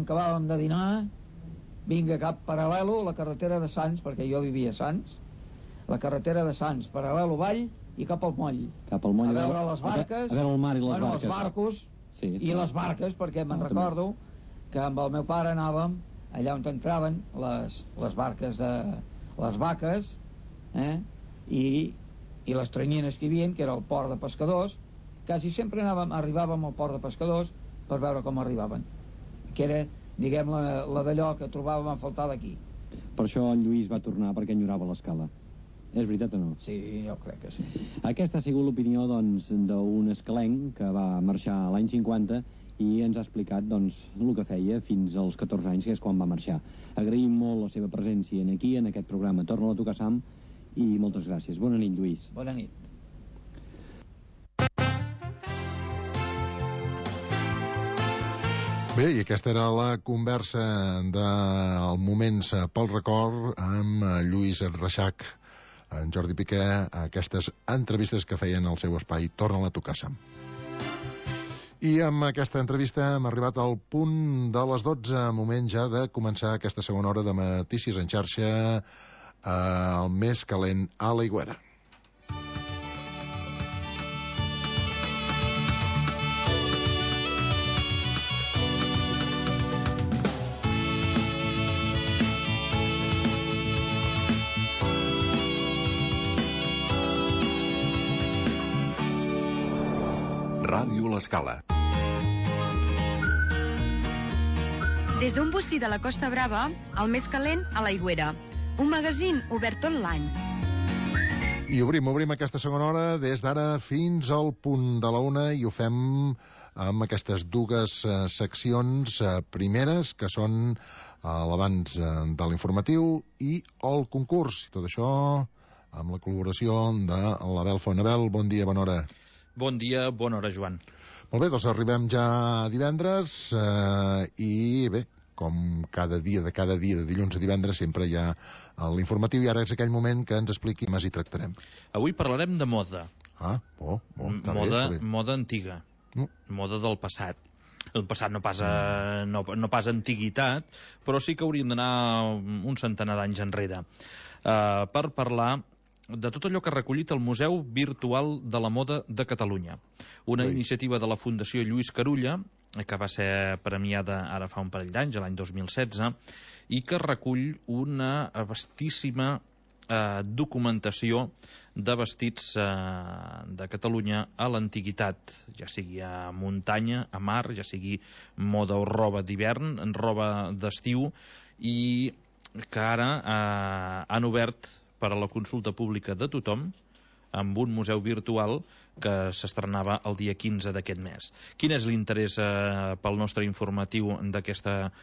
Acabàvem de dinar, vinga cap paral·lelo, la carretera de Sants, perquè jo vivia a Sants, la carretera de Sants, paral·lelo vall i cap al moll. Cap al moll, a veure les barques, a veure el mar i les barques. Els barcos sí, i les barques, perquè me'n recordo que amb el meu pare anàvem allà on entraven les barques de les vaques, i les tranyines que hi havia, que era el port de pescadors. Quasi sempre arribàvem al port de pescadors per veure com arribaven, que era, diguem, la d'allò que trobàvem a faltar d'aquí. Per això en Lluís va tornar, perquè enyorava l'escala. És veritat o no? Sí, jo crec que sí. Aquesta ha sigut l'opinió, doncs, d'un escalenc que va marxar l'any 50 i ens ha explicat, doncs, el que feia fins als 14 anys, que és quan va marxar. Agraïm molt la seva presència aquí, en aquest programa Torna-la a tocar, Sam, i moltes gràcies. Bona nit, Lluís. Bona nit. Bé, i aquesta era la conversa del Moments pel Record amb Lluís Reixac, en Jordi Piqué, aquestes entrevistes que feien al seu espai Torna-la a tocar, Sam. I amb aquesta entrevista hem arribat al punt de les 12, moment ja de començar aquesta segona hora de Notícies en xarxa, el més calent a l'Aigüera. Ràdio L'Escala. Des d'un bocí de la Costa Brava, el més calent a l'Aigüera. Un magazín obert tot l'any. I obrim aquesta segona hora des d'ara fins al punt de la 1 i ho fem amb aquestes dues seccions primeres, que són l'abans de l'informatiu i el concurs. I tot això amb la col·laboració de l'Abel Fonabel. Bon dia, bona hora. Bon dia, bona hora, Joan. Molt bé, doncs arribem ja a divendres i bé, com cada dia de dilluns a divendres sempre hi ha l'informatiu i ara és aquell moment que ens expliqui més i tractarem. Avui parlarem de moda. Moda antiga, moda del passat. El passat no pas antiguitat, però sí que hauríem d'anar un centenar d'anys enrere per parlar de tot allò que ha recollit el Museu Virtual de la Moda de Catalunya. Una iniciativa de la Fundació Lluís Carulla, que va ser premiada ara fa un parell d'anys, l'any 2016, i que recull una vastíssima documentació de vestits de Catalunya a l'antiguitat, ja sigui a muntanya, a mar, ja sigui moda o roba d'hivern, roba d'estiu, i que ara han obert per a la consulta pública de tothom amb un museu virtual que s'estrenava el dia 15 d'aquest mes. Quin és l'interès pel nostre informatiu d'aquesta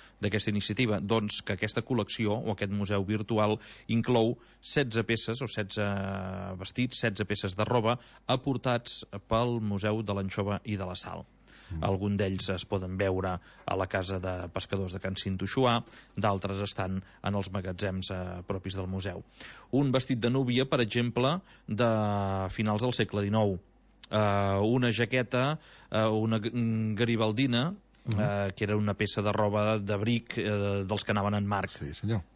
iniciativa? Doncs que aquesta col·lecció o aquest museu virtual inclou 16 peces o 16 vestits, 16 peces de roba aportats pel Museu de l'Anxova i de la Sal. Algun d'ells es poden veure a la casa de pescadors de Can Cintoixuà, d'altres estan en els magatzems propis del museu. Un vestit de núvia, per exemple, de finals del segle XIX, una jaqueta, una garibaldina, que era una peça de roba d'abric dels que anaven en marc. Sí, senyor.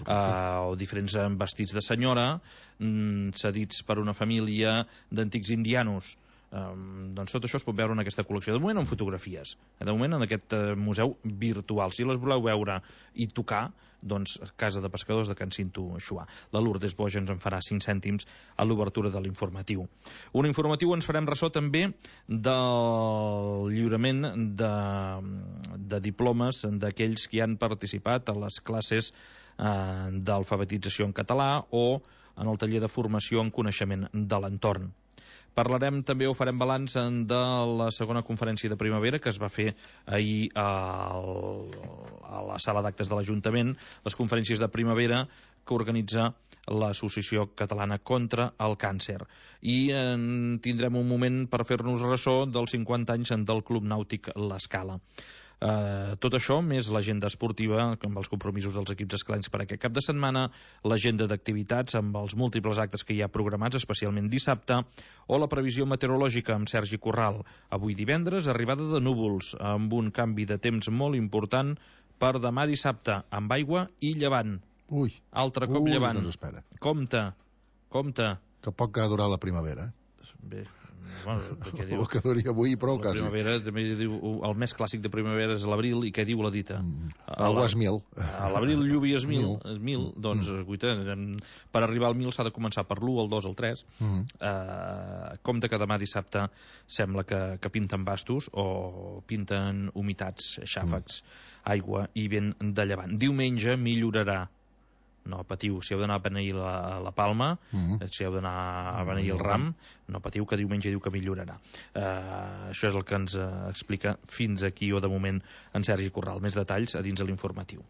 O diferents vestits de senyora cedits per una família d'antics indianos. Doncs tot això es pot veure en aquesta col·lecció, de moment en fotografies, de moment en aquest museu virtual. Si les voleu veure i tocar, doncs Casa de Pescadors de Can Cintoixuà. La Lourdes Boja ens en farà 5 cèntims a l'obertura de l'informatiu. Un informatiu ens farem ressò també del lliurament de diplomes d'aquells que han participat a les classes d'alfabetització en català o en el taller de formació en coneixement de l'entorn. Parlarem també, o farem balanç de la segona conferència de primavera que es va fer ahir a la sala d'actes de l'Ajuntament, les conferències de primavera que organitza l'Associació Catalana contra el Càncer. I tindrem un moment per fer-nos ressò dels 50 anys del Club Nàutic L'Escala. Tot això, més l'agenda esportiva, amb els compromisos dels equips esclencs per aquest cap de setmana, l'agenda d'activitats amb els múltiples actes que hi ha programats, especialment dissabte, o la previsió meteorològica amb Sergi Corral. Avui divendres, arribada de núvols, amb un canvi de temps molt important per demà dissabte, amb aigua i llevant. Ui. Altre cop llevant. Doncs espera. Compte. Que poc ha durat la primavera. Bé, bueno, què diu? El que duria avui, prou La quasi. primavera, també diu, el mes clàssic de primavera és l'abril, i què diu la dita? Aigua és 1000. A l'abril lluvi és 1000, doncs, guaita, per arribar al 1000 s'ha de començar per l'1, el 2, el 3. Compte que demà dissabte sembla que pinten bastos o pinten humitats, xàfecs, aigua i vent de llevant. Diumenge millorarà. No patiu, si heu d'anar a beneir la Palma, si heu d'anar a beneir el Ram, no patiu, que diumenge diu que millorarà. Això és el que ens explica fins aquí, o de moment, en Sergi Corral. Més detalls a dins de l'informatiu.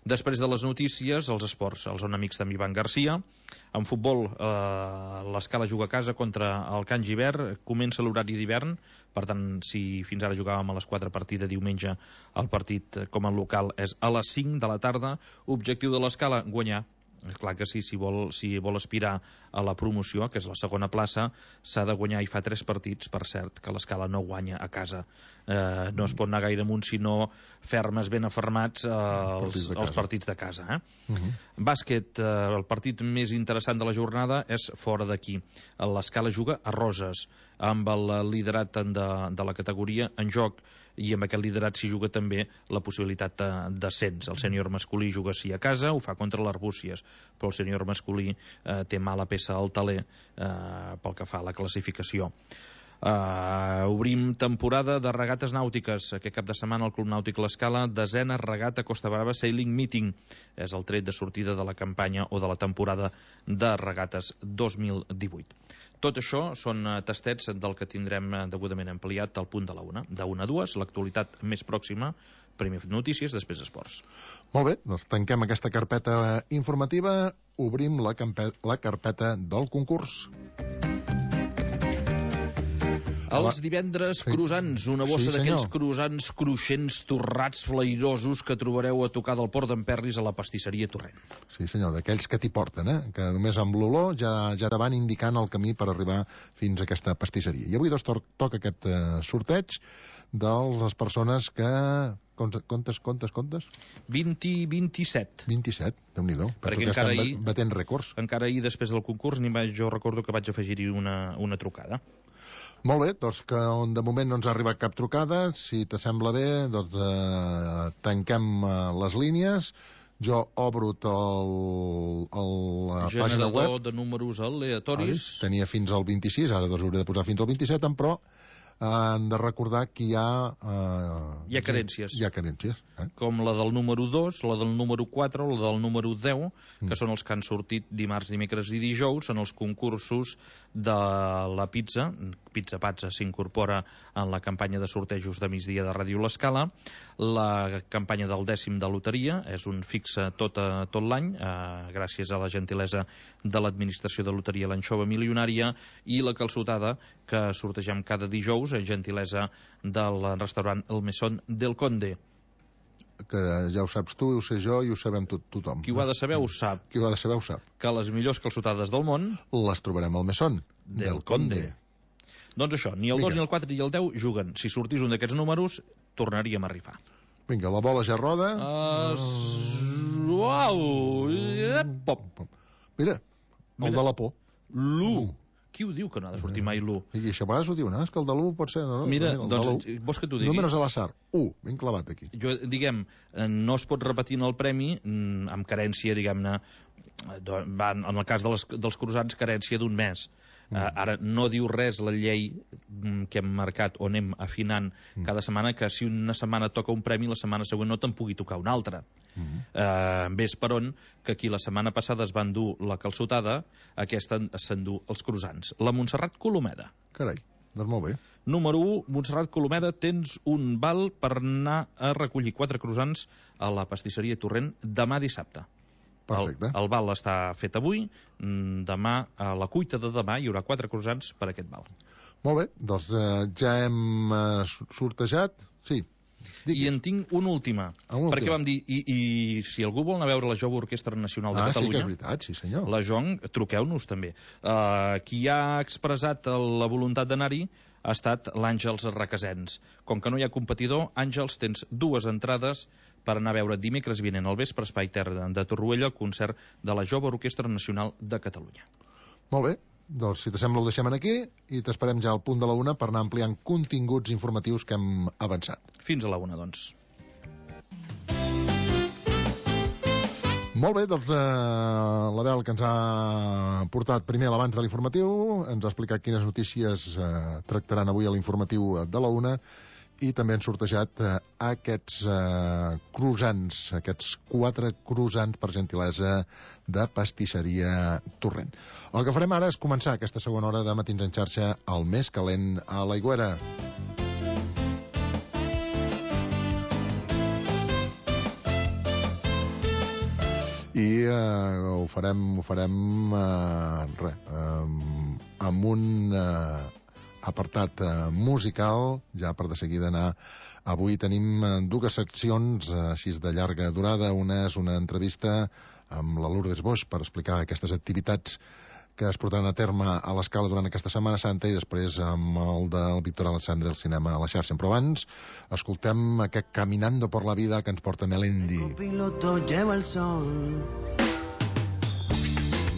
Després de les notícies, els esports, els Zona Amics d'en Ivan Garcia. En futbol, l'Escala juga a casa contra el Can Givert, comença l'horari d'hivern, per tant, si fins ara jugàvem a les 4 partida diumenge, el partit com a local és a les 5 de la tarda. Objectiu de l'Escala, guanyar. Clar que sí, si vol aspirar a la promoció, que és la segona plaça, s'ha de guanyar, i fa 3 partits, per cert, que l'Escala no guanya a casa. No es pot anar gaire amunt, sinó fermes, ben afermats els partits de casa. Bàsquet, el partit més interessant de la jornada és fora d'aquí. L'Escala juga a Roses, amb el liderat de la categoria en joc, i amb aquest liderat s'hi juga també la possibilitat d'ascens. El sènior masculí juga sí a casa, ho fa contra l'Arbúcies, però el sènior masculí té mala peça al taler pel que fa a la classificació. Obrim temporada de regates nàutiques. Aquest cap de setmana el Club Nàutic l'Escala, 10a regata Costa Brava Sailing Meeting. És el tret de sortida de la campanya o de la temporada de regates 2018. Tot això són tastets del que tindrem degudament ampliat al punt de la 1. De 1 a 2, l'actualitat més pròxima, primer notícies, després esports. Molt bé, doncs tanquem aquesta carpeta informativa, obrim la carpeta del concurs. Els divendres croissants, una bossa d'aquells croissants cruixents, torrats, flairosos que trobareu a tocar del Port d'Emperris a la pastisseria Torrent. Sí senyor, d'aquells que t'hi porten, que només amb l'olor ja te van indicant el camí per arribar fins a aquesta pastisseria. I avui doncs toca aquest sorteig de les persones que... Comptes? 20 i 27. 27, Déu-n'hi-do. Perquè encara ahir... batent rècords. Encara ahir, després del concurs, jo recordo que vaig afegir-hi una trucada. Molt bé, doncs que de moment no ens ha arribat cap trucada. Si t'assembla bé, doncs tanquem les línies. Jo obro la pàgina web. Generador de números aleatoris. Tenia fins al 26, ara doncs hauré de posar fins al 27, però han de recordar que hi ha... hi ha carències. Hi ha carències. Com la del número 2, la del número 4, la del número 10, que són els que han sortit dimarts, dimecres i dijous, en els concursos de la pizza. Pizza Pazza s'incorpora en la campanya de sortejos de migdia de Ràdio L'Escala. La campanya del 10 de loteria és un fixe tot l'any, gràcies a la gentilesa de l'administració de loteria l'Anxova Milionària, i la calçotada, que sortegem cada dijous, en gentilesa del restaurant El Mesón del Conde. Que ja ho saps tu, ho sé jo i ho sabem tothom. Qui ho ha de saber ho sap. Qui ho ha de saber ho sap. Que les millors calçotades del món les trobarem al Mesón del Conde. Doncs això, ni el 2, ni el 4, ni el 10 juguen. Si sortís un d'aquests números, tornaríem a rifar. Vinga, la bola ja roda. Uau! Mira, el de la por. L'1. Qui ho diu que no ha de sortir mai l'1? I això a vegades ho diu, no? És que el de l'1 pot ser... No? Mira, doncs, vols que t'ho digui? Números a l'assar. 1, ben clavat aquí. Jo, diguem, no es pot repetir en el premi amb carència, diguem-ne, en el cas dels croissants, carència d'un mes. Ara no diu res la llei que hem marcat o anem afinant cada setmana, que si una setmana toca un premi, la setmana següent no te'n pugui tocar un altre. Ves per on que aquí la setmana passada es va endur la calçotada, aquesta s'endú els croissants. La Montserrat Colomeda. Carai, doncs molt bé. Número 1, Montserrat Colomeda, tens un val per anar a recollir 4 croissants a la pastisseria Torrent demà dissabte. Perfecte. El val està fet avui, demà, a la cuita de demà, hi haurà 4 croissants per aquest val. Molt bé, doncs ja hem sortejat, sí, I en tinc una última. Perquè vam dir, i si algú vol anar a veure la Jove Orquestra Nacional de Catalunya... Sí que és veritat, sí senyor. La Jong, truqueu-nos també. Qui ha expressat la voluntat d'anar-hi ha estat l'Àngels Requesens. Com que no hi ha competidor, Àngels, tens 2 entrades per anar a veure dimecres vinent al vespre Espai Terra de Torroella el concert de la Jove Orquestra Nacional de Catalunya. Molt bé, doncs si t'assembla ho deixem aquí i t'esperem ja al punt de la 1 per anar ampliant continguts informatius que hem avançat. Fins a la 1, doncs. Molt bé, doncs l'Abel, que ens ha portat primer l'abans de l'informatiu, ens ha explicat quines notícies tractaran avui a l'informatiu de la 1 i també han sortejat aquests croissants, aquests 4 croissants per gentilesa de pastisseria Torrent. El que farem ara és començar aquesta segona hora de Matins en xarxa, el més calent a l'Aigüera. I ho farem amb un apartat musical, ja per de seguida anar. Avui tenim 2 seccions així de llarga durada. Una és una entrevista amb la Lourdes Boix per explicar aquestes activitats que es portaran a terme a l'Escala durant aquesta Setmana Santa, i després amb el del Víctor Alexandre al cinema a la xarxa. Però abans escoltem aquest Caminando por la vida que ens porta Melendi. El copiloto lleva el sol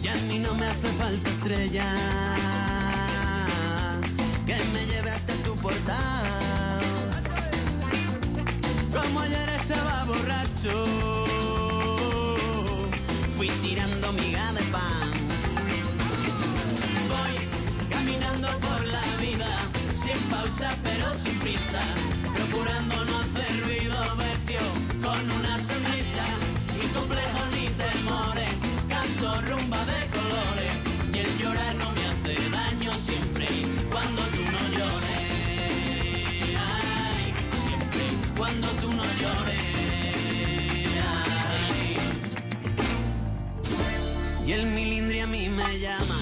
y a mí no me hace falta estrella que me lleve hasta tu portal. Como ayer estaba borracho, fui tirando miga de pan. Voy caminando por la vida, sin pausa pero sin prisa, procurando no hacer ruido, vestido con una sonrisa, sin complejos ni temores, canto rumba de colores, y el llorar no me hace daño siempre cuando tú no llores. Ay, siempre cuando tú no llores. Ay. Y el milindri a mí me llama,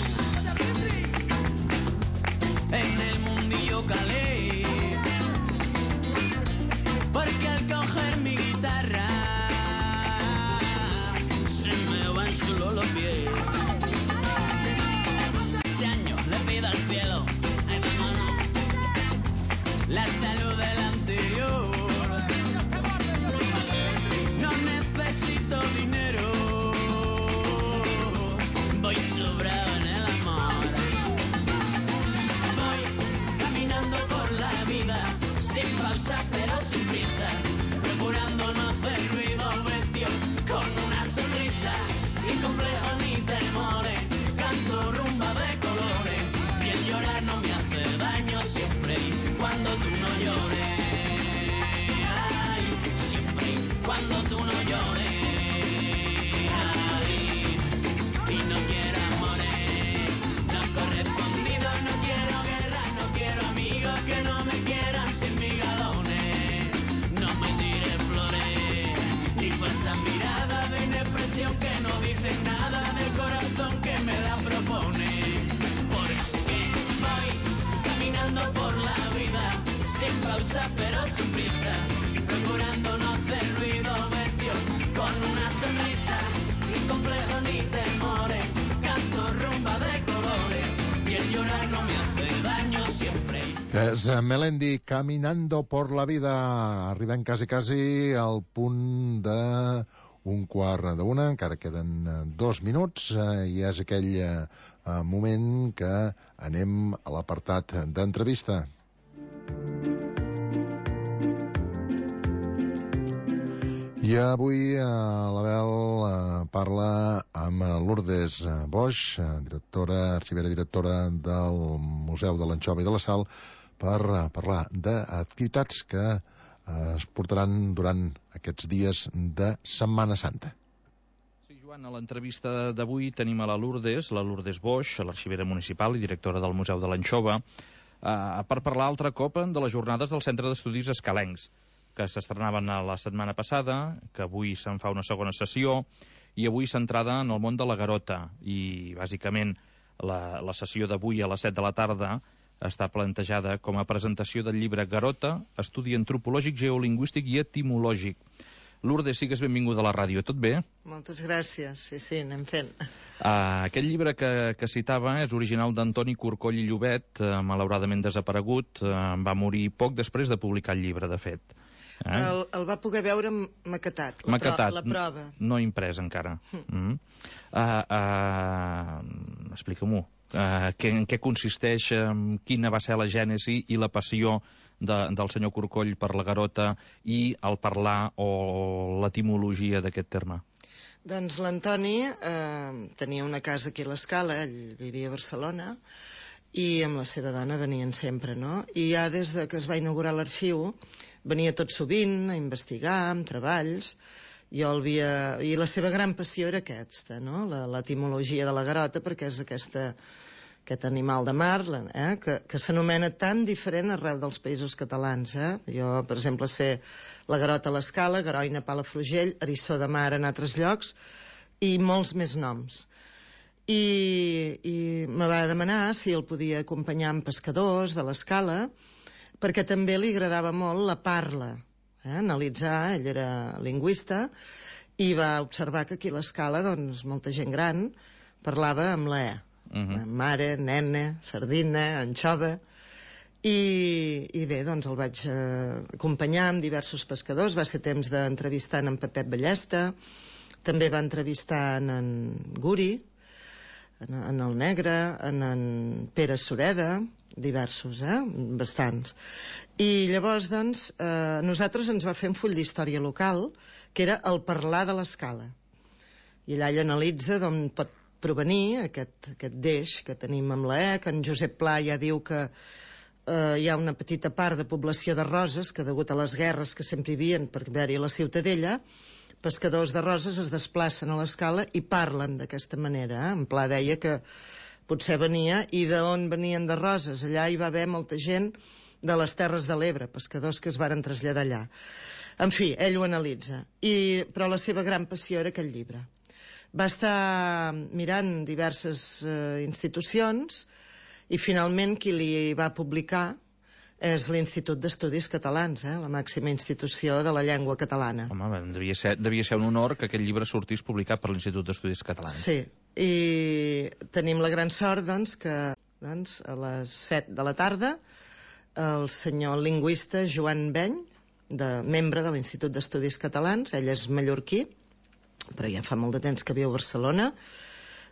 en el mundillo calé, porque al coger mi guitarra se me van solo los pies. Este año le pido al cielo, ay vámonos, la salud del anterior. No necesito dinero, voy sobrado en el amor. Voy caminando por la vida, sin pausa pero sin prisa, procurando no hacer ruido, vestido con una sonrisa, sin complejos ni temores, canto rumba de colores, y el llorar no me hace daño siempre cuando tú no llores. Ay, siempre cuando tú no llores. Ay, y no quiero amores no correspondidos, no quiero guerra, no quiero amigos que no me quieran sin mis galones. No me tires flores ni falsas miradas de inexpresión que no dicen nada del corazón que me la propone. Porque voy caminando por la vida, sin pausa pero sin prisa, procurando no hacer ruido, vestido con una sonrisa, sin complejos ni temores, canto rumba de colores, y el llorar no me hace daño siempre. És Melendi, Caminando por la vida. Arribem quasi al punt de 1:45, encara queden 2 minuts, i és aquell moment que anem a l'apartat d'entrevista. I avui l'Abel parla amb Lourdes Boix, arxivera directora del Museu de l'Anxova i de la Sal, per parlar d'activitats que es portaran durant aquests dies de Setmana Santa. Sí, Joan, a l'entrevista d'avui tenim a la Lourdes Boix, l'arxivera municipal i directora del Museu de l'Anxova, per parlar altre cop de les jornades del Centre d'Estudis Escalencs, que s'estrenaven la setmana passada, que avui se'n fa una segona sessió, i avui centrada en el món de la garota. I, bàsicament, la sessió d'avui a les 7 de la tarda està plantejada com a presentació del llibre Garota, estudi antropològic, geolingüístic i etimològic. Lourdes, sigues benvinguda a la ràdio. Tot bé? Moltes gràcies. Sí, anem fent. Aquest llibre que citava és original d'Antoni Corcoll i Llobet, malauradament desaparegut. Va morir poc després de publicar el llibre, de fet. El va poder veure maquetat, la prova. No imprès encara. Explica-m'ho. En què consisteix, quina va ser la gènesi i la passió del senyor Corcoll per la Garota i el parlar o l'etimologia d'aquest terme? Doncs l'Antoni tenia una casa aquí a l'Escala, ell vivia a Barcelona, i amb la seva dona venien sempre, no? I ja des que es va inaugurar l'arxiu venia tot sovint a investigar, amb treballs. I la seva gran passió era aquesta, no? L'etimologia de la Garota, perquè és aquest animal de mar que s'anomena tan diferent arreu dels països catalans. Jo, per exemple, sé la Garota a l'Escala, Garoina, Palafrugell, Eriçó de Mar en altres llocs, i molts més noms. I me va demanar si el podia acompanyar amb pescadors de l'Escala, perquè també li agradava molt la parla, analitzar, ell era lingüista, i va observar que aquí a l'Escala, doncs, molta gent gran parlava amb la mare, nena, sardina, anxova, i bé, doncs el vaig acompanyar amb diversos pescadors. Va ser temps d'entrevistar en Pepet Ballesta, també va entrevistar en Guri, en el Negre, en Pere Sureda, diversos, bastants. I llavors, doncs, nosaltres ens va fer un full d'història local, que era el parlar de l'Escala. I allà ell analitza d'on pot provenir aquest deix que tenim amb la que en Josep Pla ja diu que hi ha una petita part de població de Roses que, degut a les guerres que sempre hi havia per haver-hi la Ciutadella, pescadors de Roses es desplacen a l'Escala i parlen d'aquesta manera. En Pla deia que potser venia, i d'on venien de Roses? Allà hi va haver molta gent de les Terres de l'Ebre, pescadors que es varen traslladar allà. En fi, ell ho analitza. Però la seva gran passió era aquest llibre. Va estar mirant diverses institucions i finalment qui li va publicar és l'Institut d'Estudis Catalans, la màxima institució de la llengua catalana. Home, devia ser un honor que aquest llibre sortís publicat per l'Institut d'Estudis Catalans. Sí, i tenim la gran sort que a les 7 de la tarda el senyor lingüista Joan Beny, membre de l'Institut d'Estudis Catalans, ell és mallorquí, però ja fa molt de temps que viu a Barcelona,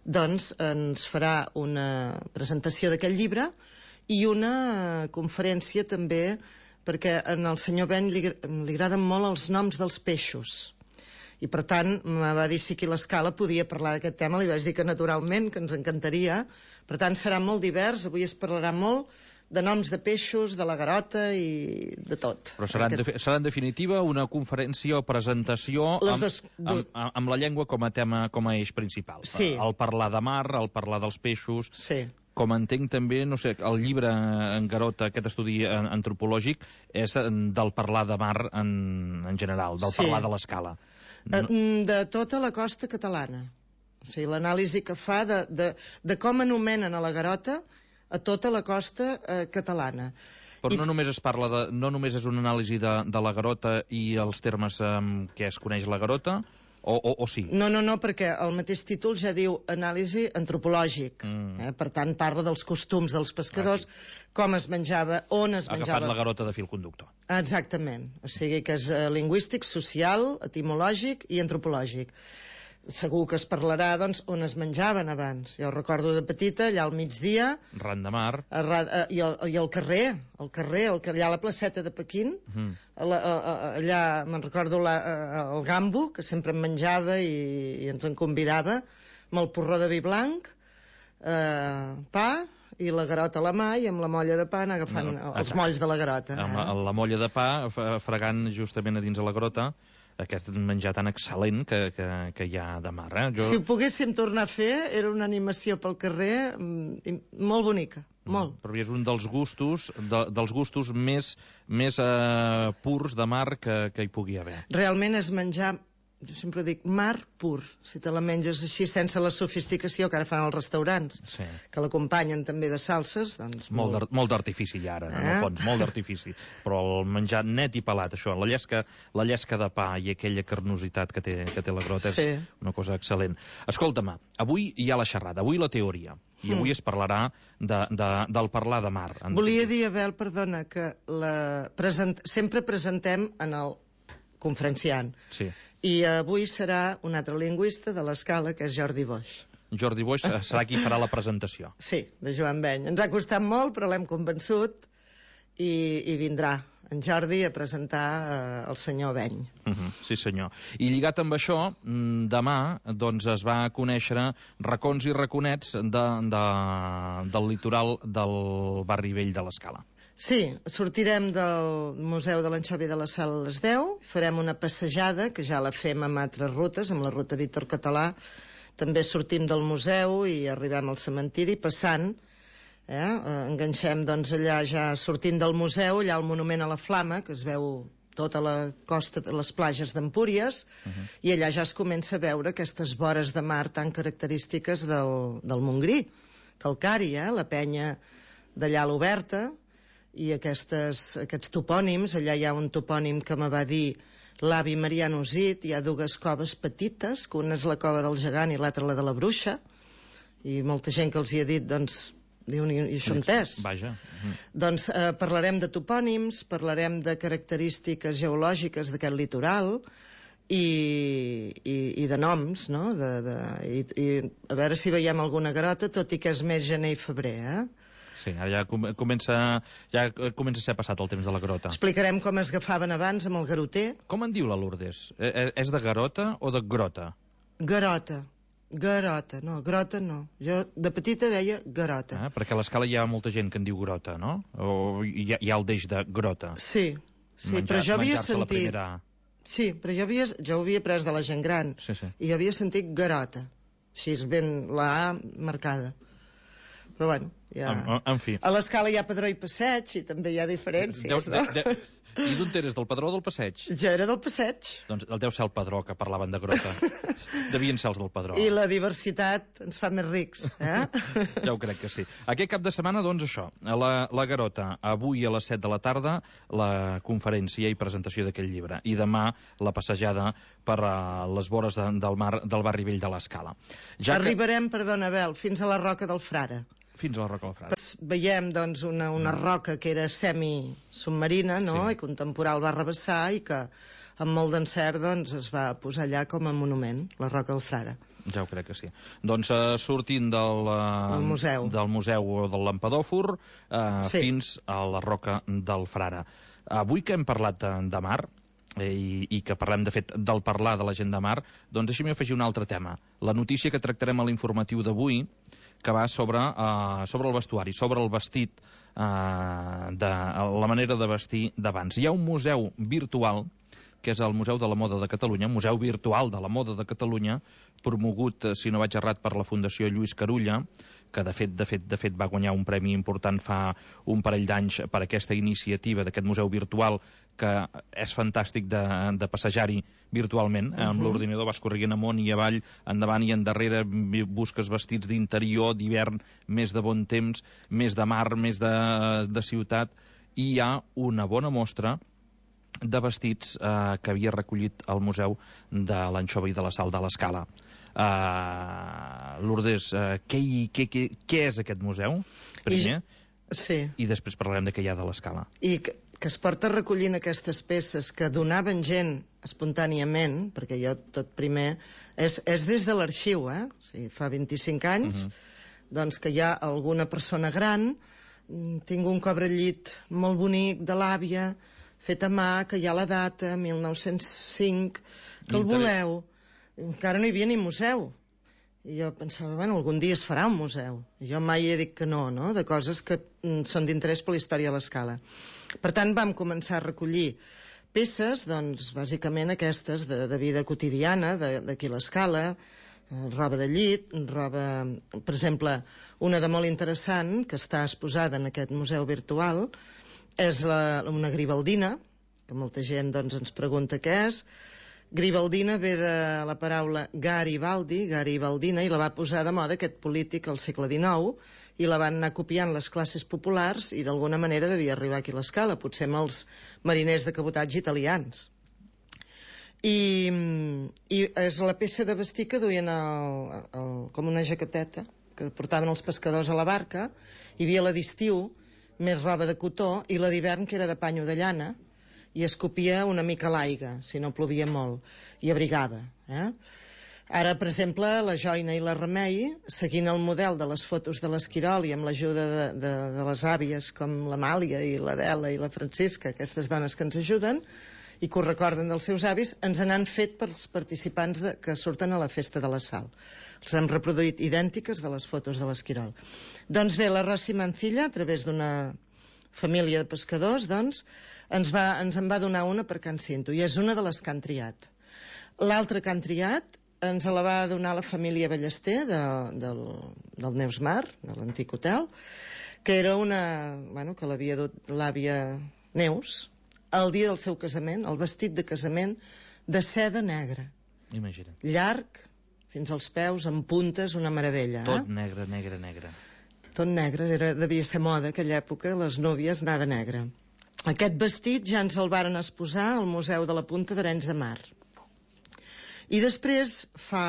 doncs ens farà una presentació d'aquest llibre i una conferència també, perquè al senyor Ben li agraden molt els noms dels peixos. I per tant me va dir si aquí a l'Escala podia parlar d'aquest tema, li vaig dir que naturalment, que ens encantaria. Per tant serà molt divers, avui es parlarà molt de noms de peixos, de la Garota i de tot. Però serà en definitiva una conferència o presentació amb la llengua com a tema, com a eix principal. Sí. El parlar de mar, el parlar dels peixos. Sí. Com entenc també, no sé, el llibre en Garota, aquest estudi antropològic, és del parlar de mar en general, del parlar de l'Escala. De tota la costa catalana. O sigui, l'anàlisi que fa de com anomenen a la Garota a tota la costa catalana. Però no només es parla no només és una anàlisi de la Garota i els termes que es coneix la Garota, o sí? No, perquè el mateix títol ja diu anàlisi antropològic. Per tant, parla dels costums dels pescadors, com es menjava, on es menjava. Ha agafat la Garota de fil conductor. Exactament. O sigui que és lingüístic, social, etimològic i antropològic. Segur que es parlarà, doncs, on es menjaven abans. Jo recordo de petita, allà al migdia... Ran de mar. I al carrer, allà a la placeta de Pequín, allà me'n recordo el gambo, que sempre em menjava i ens en convidava, amb el porró de vi blanc, pa i la Garota a la mà, i amb la molla de pa anar agafant els molls de la Garota. Amb la molla de pa, fregant justament a dins de la Garota, aquest menjar tan excel·lent que hi ha de mar. Si ho poguéssim tornar a fer, era una animació pel carrer molt bonica, molt. Però és un dels gustos més purs de mar que hi pugui haver. Realment és menjar jo sempre dic mar pur, si te la menges així sense la sofisticació que ara fan els restaurants, Sí. que l'acompanyen també de salses, doncs Molt d'artifici ja ara, en el fons, molt d'artifici. Però el menjar net i pelat, això, la llesca de pa i aquella carnositat que té la grota Sí. és una cosa excel·lent. Escolta-me, avui hi ha la xerrada, avui la teoria, i avui es parlarà del parlar de mar. Volia dir, Abel, perdona, que sempre presentem en el conferenciant. Sí. I avui serà un altre lingüista de l'Escala, que és Jordi Boix. Jordi Boix serà qui farà la presentació. Sí, de Joan Beny. Ens ha costat molt, però l'hem convençut i vindrà en Jordi a presentar el senyor Beny. Sí, senyor. I lligat amb això, demà doncs, es va conèixer racons i raconets del litoral del barri vell de l'Escala. Sí, sortirem del Museu de l'Anxovi de la Sal a les 10, farem una passejada, que ja la fem amb altres rutes, amb la ruta Víctor Català, també sortim del museu i arribem al cementiri passant, enganxem doncs allà ja sortint del museu, allà al monument a la Flama, que es veu tota la costa de les platges d'Empúries, i allà ja es comença a veure aquestes vores de mar tan característiques del Montgrí, calcari, la penya d'allà a l'Oberta, i aquests topònims. Allà hi ha un topònim que me va dir l'avi Mariano Usit, hi ha dues coves petites, que una és la cova del gegant i l'altra la de la bruixa, i molta gent que els hi ha dit, doncs, diuen, i això entès. Vaja. Doncs parlarem de topònims, parlarem de característiques geològiques d'aquest litoral i de noms, no? I a veure si veiem alguna garota, tot i que és més gener i febrer, Sí, ara ja comença a ser passat el temps de la grota. Explicarem com es agafaven abans amb el garoter. Com en diu la Lourdes? És de garota o de grota? Garota, no, grota no. Jo de petita deia garota. Perquè a l'Escala hi ha molta gent que en diu grota, no? O hi ha el deix de grota. Sí, però jo havia sentit... Primera... Sí, però jo ho havia pres de la gent gran. Sí. I jo havia sentit garota. Així és ben la A marcada. Però bueno, ja... En fi. A l'Escala hi ha Padró i Passeig i també hi ha diferències, no? I d'on eres, del Padró o del Passeig? Jo era del Passeig. Doncs deu ser el Padró, que parlaven de grota. Devien ser els del Padró. I la diversitat ens fa més rics, Ja ho crec que sí. Aquest cap de setmana, doncs, això, la Garota. Avui a les 7 de la tarda, la conferència i presentació d'aquest llibre. I demà, la passejada per les vores del mar del barri vell de l'Escala. Arribarem, perdona, Abel, fins a la Roca del Frare. Fins a la Roca del Frare. Veiem, doncs, una roca que era semi-submarina, no? Sí. I que un temporal va rebassar i que, amb molt d'encert, doncs, es va posar allà com a monument, la Roca del Frare. Ja ho crec que sí. Doncs sortint del museu o del Lampadòfor fins a la Roca del Frare. Avui que hem parlat de mar, i que parlem, de fet, del parlar de la gent de mar, doncs deixem-hi afegir un altre tema. La notícia que tractarem a l'informatiu d'avui, que va sobre el vestuari, sobre el vestit, la manera de vestir d'abans. Hi ha un museu virtual, que és el Museu de la Moda de Catalunya, Museu Virtual de la Moda de Catalunya, promogut, si no vaig errat, per la Fundació Lluís Carulla, que de fet va guanyar un premi important fa un parell d'anys per aquesta iniciativa d'aquest museu virtual, que és fantàstic de passejar-hi virtualment. Amb l'ordinador vas corrent amunt i avall, endavant i endarrere, busques vestits d'interior, d'hivern, més de bon temps, més de mar, més de ciutat, i hi ha una bona mostra de vestits que havia recollit el Museu de l'Anxova i de la Sal de l'Escala. Lourdes, què és aquest museu, primer? Sí. I després parlarem de què hi ha de l'Escala. I que es porta recollint aquestes peces que donaven gent espontàniament, perquè jo tot primer... És des de l'arxiu, O sigui, fa 25 anys, doncs que hi ha alguna persona gran, tinc un cobrellit molt bonic de l'àvia, fet a mà, que hi ha la data, 1905, que el voleu. Encara no hi havia ni museu. I jo pensava, bueno, algun dia es farà un museu. I jo mai he dit que no, de coses que són d'interès per la història de l'Escala. Per tant, vam començar a recollir peces, doncs, bàsicament aquestes de vida quotidiana, d'aquí l'Escala, roba de llit, roba... Per exemple, una de molt interessant, que està exposada en aquest museu virtual, és una gribaldina, que molta gent doncs, ens pregunta què és. Garibaldina ve de la paraula Garibaldi, Garibaldina, i la va posar de moda aquest polític al segle XIX, i la van anar copiant les classes populars, i d'alguna manera devia arribar aquí a l'escala, potser amb els mariners de cabotatge italians. I és la peça de vestir que duien com una jaqueteta que portaven els pescadors a la barca. Hi havia la d'estiu, més roba de cotó, i la d'hivern, que era de panyo de llana, i es copia una mica l'aigua, si no plovia molt, i abrigava. Ara, per exemple, la Joina i la Remei, seguint el model de les fotos de l'Esquirol i amb l'ajuda de les àvies com l'Amàlia i l'Adela i la Francisca, aquestes dones que ens ajuden i que ho recorden dels seus avis, ens n'han fet pels participants que surten a la festa de la Sal. Els han reproduït idèntiques de les fotos de l'Esquirol. Doncs bé, la Rossi Mancilla, a través d'una família de pescadors, doncs, ens en va donar una per Can Cinto, i és una de les que han triat. L'altra que han triat ens la va donar la família Ballester del Neus Mar, de l'antic hotel, que era una... que l'havia dut l'àvia Neus el dia del seu casament, el vestit de casament de seda negra. Imagina't. Llarg, fins als peus, amb puntes, una meravella. Tot negre, negre, negre. Tot negre, devia ser moda aquella època, les núvies anar de negre. Aquest vestit ja ens el varen exposar al Museu de la Punta d'Arenys de Mar. I després, fa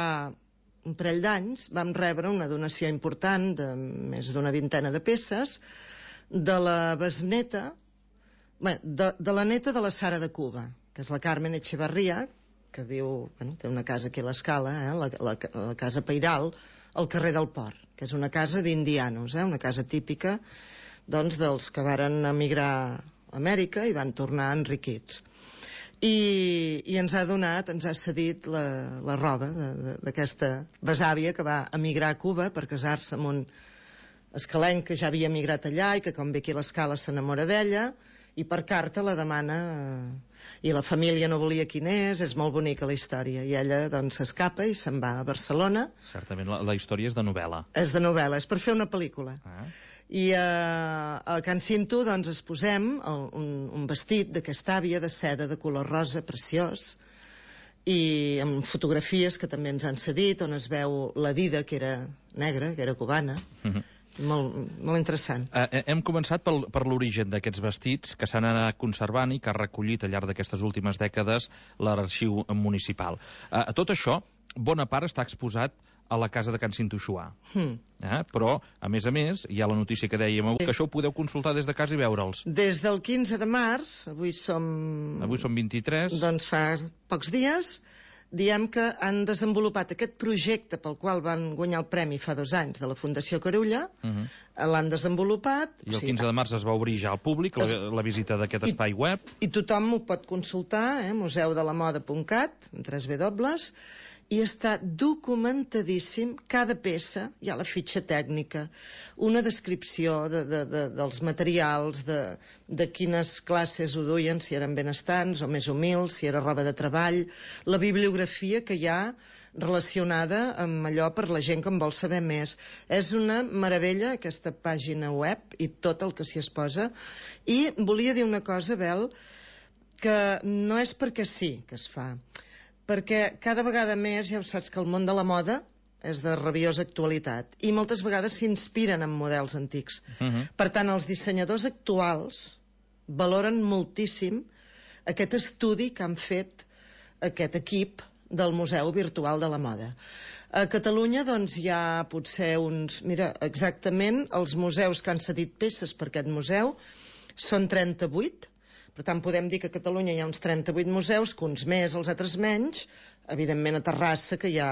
un parell d'anys, vam rebre una donació important de més d'una vintena de peces de la besneta, de la neta de la Sara de Cuba, que és la Carmen Echevarría, que viu, té una casa aquí a l'Escala, la casa Pairal, al carrer del Port, que és una casa d'indianos, una casa típica doncs, dels que varen emigrar a Amèrica i van tornar enriquits. I ens ha donat, ens ha cedit la roba d'aquesta besàvia que va emigrar a Cuba per casar-se amb un escalenc que ja havia emigrat allà i que, com ve aquí a l'Escala, s'enamora d'ella, i per carta la demana, i la família no volia quin és molt bonica la història, i ella doncs s'escapa i se'n va a Barcelona. Certament, la història és de novel·la. És de novel·la, és per fer una pel·lícula. I a Can Cinto doncs exposem un vestit d'aquesta àvia de seda de color rosa preciós, i amb fotografies que també ens han cedit, on es veu la Dida, que era negra, que era cubana. Molt interessant. Hem començat per l'origen d'aquests vestits que s'han anat conservant i que ha recollit al llarg d'aquestes últimes dècades l'arxiu municipal. Tot això, bona part està exposat a la casa de Can Cinto Xuà. Però, a més, hi ha la notícia que dèiem avui, que això ho podeu consultar des de casa i veure'ls. Des del 15 de març, avui som 23. Doncs fa pocs dies, diem que han desenvolupat aquest projecte pel qual van guanyar el premi fa 2 anys de la Fundació Carulla, l'han desenvolupat. I el 15 de març es va obrir ja al públic la visita d'aquest espai web. I tothom ho pot consultar, museudelamoda.cat, amb 3 W, i està documentadíssim cada peça, hi ha la fitxa tècnica, una descripció dels materials, de quines classes ho duien, si eren benestants o més humils, si era roba de treball, la bibliografia que hi ha relacionada amb allò per la gent que en vol saber més. És una meravella aquesta pàgina web i tot el que s'hi exposa. I volia dir una cosa, Bel, que no és perquè sí que es fa, perquè cada vegada més ja ho saps que el món de la moda és de rabiosa actualitat i moltes vegades s'inspiren en models antics. Per tant, els dissenyadors actuals valoren moltíssim aquest estudi que han fet aquest equip del Museu Virtual de la Moda. A Catalunya doncs hi ha potser uns... Mira, exactament els museus que han cedit peces per aquest museu són 38. Per tant, podem dir que a Catalunya hi ha uns 38 museus, que uns més, els altres menys. Evidentment, a Terrassa, que hi ha...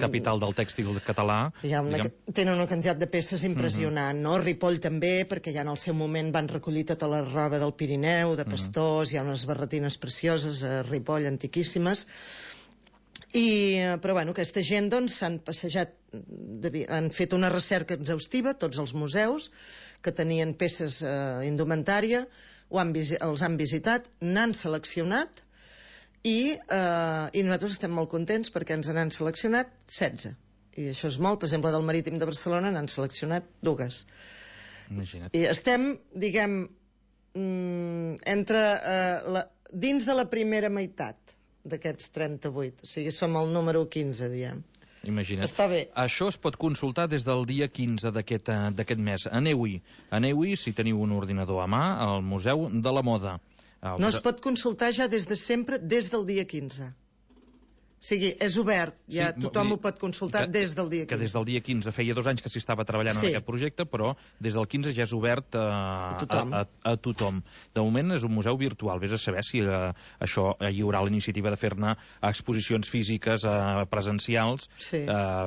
Capital del tèxtil català. Tenen una quantitat de peces impressionant, no? Ripoll també, perquè ja en el seu moment van recollir tota la roba del Pirineu, de pastors, hi ha unes barretines precioses a Ripoll, antiquíssimes. Però aquesta gent doncs s'han passejat, han fet una recerca exhaustiva, tots els museus que tenien peces indumentària, els han visitat, n'han seleccionat i nosaltres estem molt contents perquè ens n'han seleccionat 16. I això és molt. Per exemple, del Marítim de Barcelona n'han seleccionat 2. Imagina't. I estem, diguem, dins de la primera meitat d'aquests 38. O sigui, som el número 15, diem. Imagina't. Està bé. Això es pot consultar des del dia 15 d'aquest mes. Aneu-hi, si teniu un ordinador a mà, al Museu de la Moda. No es pot consultar ja des de sempre, des del dia 15. O sigui, és obert, ja tothom ho pot consultar des del dia 15. Que des del dia 15, feia 2 anys que s'hi estava treballant en aquest projecte, però des del 15 ja és obert a tothom. De moment és un museu virtual, vés a saber si això hi haurà la iniciativa de fer-ne exposicions físiques presencials,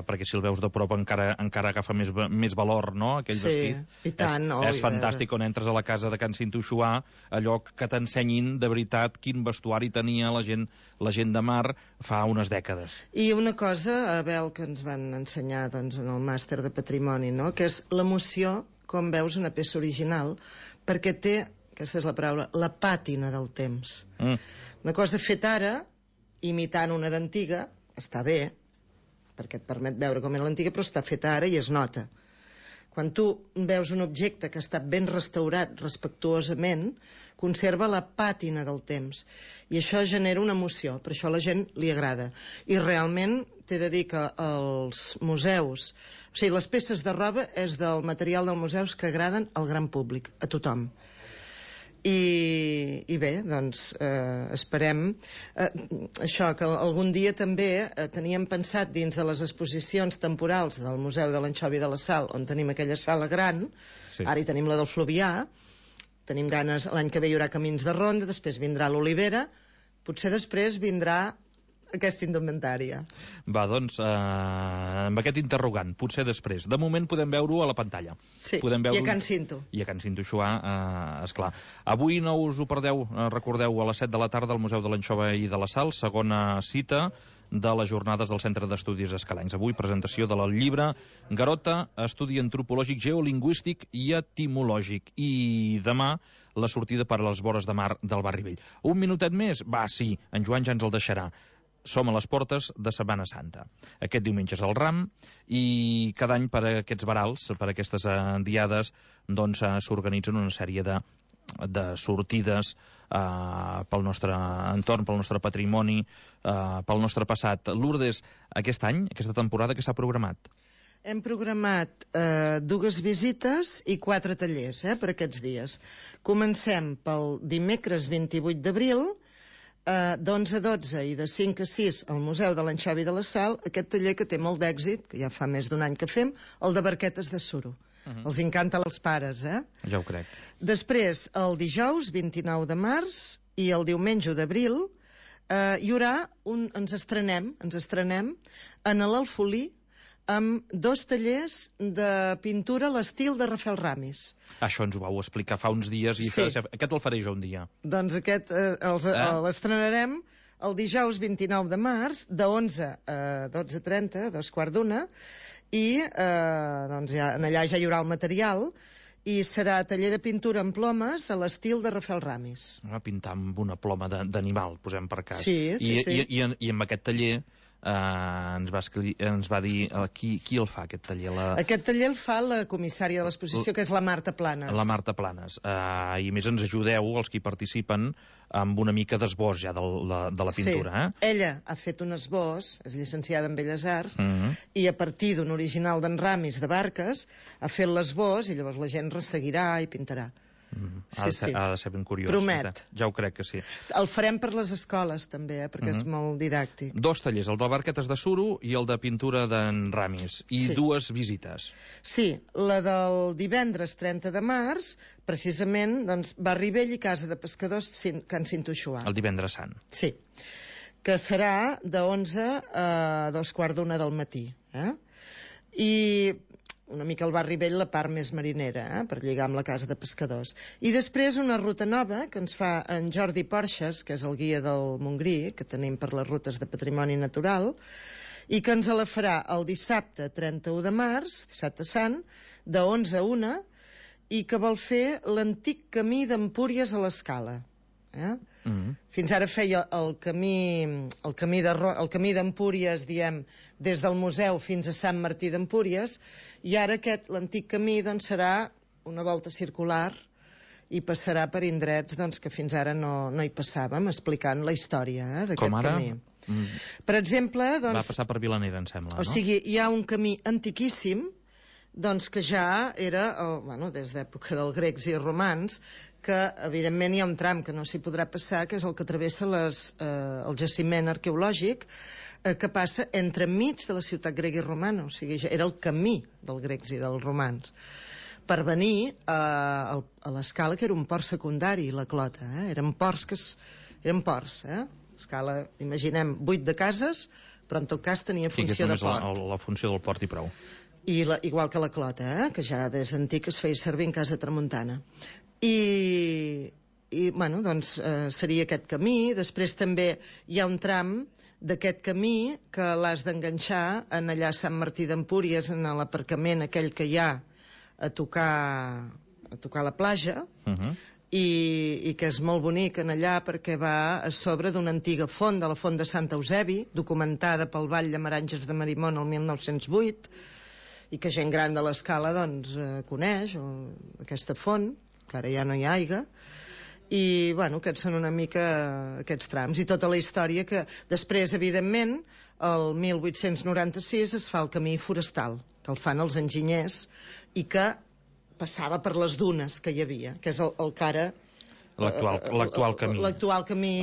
perquè si el veus de prop encara agafa més valor, no?, aquell vestit. I tant. És fantàstic quan entres a la casa de Can Cintuixuà, allò que t'ensenyin de veritat quin vestuari tenia la gent de mar fa unes dècades. I una cosa, Abel, que ens van ensenyar doncs, en el màster de patrimoni, no?, que és l'emoció, com veus una peça original, perquè té, aquesta és la paraula, la pàtina del temps. Una cosa feta ara, imitant una d'antiga, està bé, perquè et permet veure com és l'antiga, però està feta ara i es nota. Quan tu veus un objecte que ha estat ben restaurat respectuosament, conserva la pàtina del temps. I això genera una emoció, per això a la gent li agrada. I realment t'he de dir que els museus, o sigui, les peces de roba és del material dels museus que agraden al gran públic, a tothom. I bé, doncs esperem això, que algun dia també teníem pensat dins de les exposicions temporals del Museu de l'Anxovi de la Sal, on tenim aquella sala gran, ara hi tenim la del Fluvià, tenim ganes, l'any que ve hi haurà Camins de Ronda, després vindrà l'Olivera, potser després vindrà aquesta indumentària. Va, doncs, amb aquest interrogant, potser després. De moment podem veure-ho a la pantalla. Sí, i a Can Cinto. I a Can Cintuixuà, esclar. Avui no us ho perdeu, recordeu, a les 7 de la tarda al Museu de l'Anxova i de la Sal, segona cita de les jornades del Centre d'Estudis Escalencs. Avui, presentació del llibre Garota, estudi antropològic, geolingüístic i etimològic. I demà, la sortida per a les vores de mar del Barri Vell. Un minutet més? Va, sí, en Joan ja ens el deixarà. Som a les portes de Setmana Santa. Aquest diumenge és el Ram i cada any per aquests varals, per aquestes diades, doncs s'organitzen una sèrie de sortides pel nostre entorn, pel nostre patrimoni, pel nostre passat. Lourdes, aquest any, aquesta temporada, què s'ha programat? Hem programat 2 visites i 4 tallers per aquests dies. Comencem pel dimecres 28 d'abril, d'11 a 12 i de 5 a 6 al Museu de l'Anxovi de la Sal, aquest taller que té molt d'èxit, que ja fa més d'un any que fem, el de barquetes de suro. Els encanta als pares, Ja ho crec. Després, el dijous 29 de març i el diumenge d'abril hi haurà ens estrenem en l'Alfolí amb 2 tallers de pintura a l'estil de Rafael Ramis. Això ens ho vau explicar fa uns dies i aquest el faré jo un dia. Doncs aquest l'estrenarem el dijous 29 de març de 11 a 12:30, 2:15, i doncs allà ja hi haurà el material i serà taller de pintura amb plomes a l'estil de Rafael Ramis. Pintar amb una ploma d'animal, posem per cas. Sí. I amb aquest taller ens va dir qui el fa, aquest taller? Aquest taller el fa la comissària de l'exposició, que és la Marta Planes. La Marta Planes. I a més ens ajudeu, els que hi participen, amb una mica d'esbós ja de la pintura. Sí, ella ha fet un esbós, és llicenciada en Belles Arts, i a partir d'un original d'en Ramis de Barques ha fet l'esbós i llavors la gent resseguirà i pintarà. Ha de ser ben curiós. Promet. Ja ho crec que sí. El farem per les escoles també, perquè és molt didàctic. 2 tallers, el de barquetes de suro i el de pintura d'en Ramis, i 2 visites. Sí, la del divendres 30 de març, precisament, doncs, Barri Vell i Casa de Pescadors Can Cintuixuà. El divendres sant. Sí, que serà de 11 a 2:15 del matí. I una mica el Barri Vell, la part més marinera, per lligar amb la Casa de Pescadors. I després una ruta nova que ens fa en Jordi Porxes, que és el guia del Montgrí, que tenim per les rutes de patrimoni natural, i que ens la farà el dissabte 31 de març, dissabte sant, de 11 a 1, i que vol fer l'antic camí d'Empúries a l'Escala. Fins ara feia el camí d'Empúries, diem, des del museu fins a Sant Martí d'Empúries, i ara l'antic camí doncs, serà una volta circular i passarà per indrets doncs, que fins ara no hi passàvem, explicant la història d'aquest camí. Per exemple... Va passar per Vilanera, em sembla, no? O sigui, hi ha un camí antiquíssim doncs que ja era, des d'època dels grecs i romans, que evidentment hi ha un tram que no s'hi podrà passar, que és el que travessa el jaciment arqueològic, que passa entremig de la ciutat grega i romana, o sigui, ja era el camí dels grecs i dels romans, per venir a l'Escala, que era un port secundari, la Clota, eren ports, Escala, imaginem, 8 de cases, però en tot cas tenia funció de port. La funció del port i prou. Igual que la Clota, que ja des d'antic es feia servir en casa tramuntana. I doncs, seria aquest camí. Després també hi ha un tram d'aquest camí que l'has d'enganxar en allà a Sant Martí d'Empúries, en l'aparcament aquell que hi ha a tocar la platja, i que és molt bonic en allà perquè va a sobre d'una antiga font, de la font de Sant Eusebi, documentada pel Vall de Maranges de Marimón el 1908, i que gent gran de l'Escala doncs coneix, aquesta font, que ara ja no hi ha aigua, i aquests són una mica aquests trams, i tota la història que després, evidentment, el 1896 es fa el camí forestal, que el fan els enginyers, i que passava per les dunes que hi havia, que és el que ara... L'actual camí. L'actual camí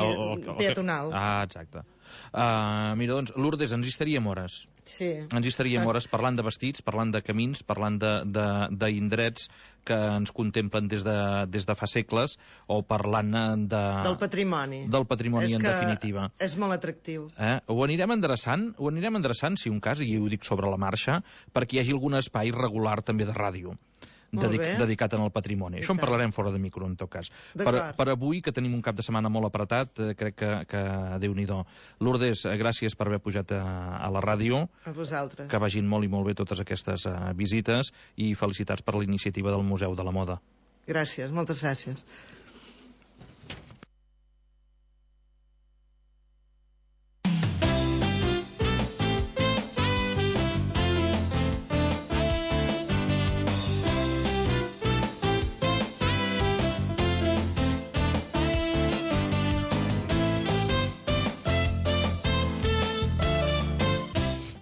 peatonal. Exacte. Mira, doncs, Lourdes, ens hi estaríem hores. Sí. Ens hi estaríem hores parlant de vestits, parlant de camins, parlant d'indrets que ens contemplen des de fa segles, o parlant del patrimoni. Del patrimoni, en definitiva. És molt atractiu. Ho anirem endreçant, si un cas, i ho dic sobre la marxa, perquè hi hagi algun espai regular també de ràdio dedicat al patrimoni. Això en parlarem fora de micro, en tot cas. Per avui, que tenim un cap de setmana molt apretat, crec que Déu-n'hi-do. Lourdes, gràcies per haver pujat a la ràdio. A vosaltres. Que vagin molt i molt bé totes aquestes visites, i felicitats per la iniciativa del Museu de la Moda. Gràcies, moltes gràcies.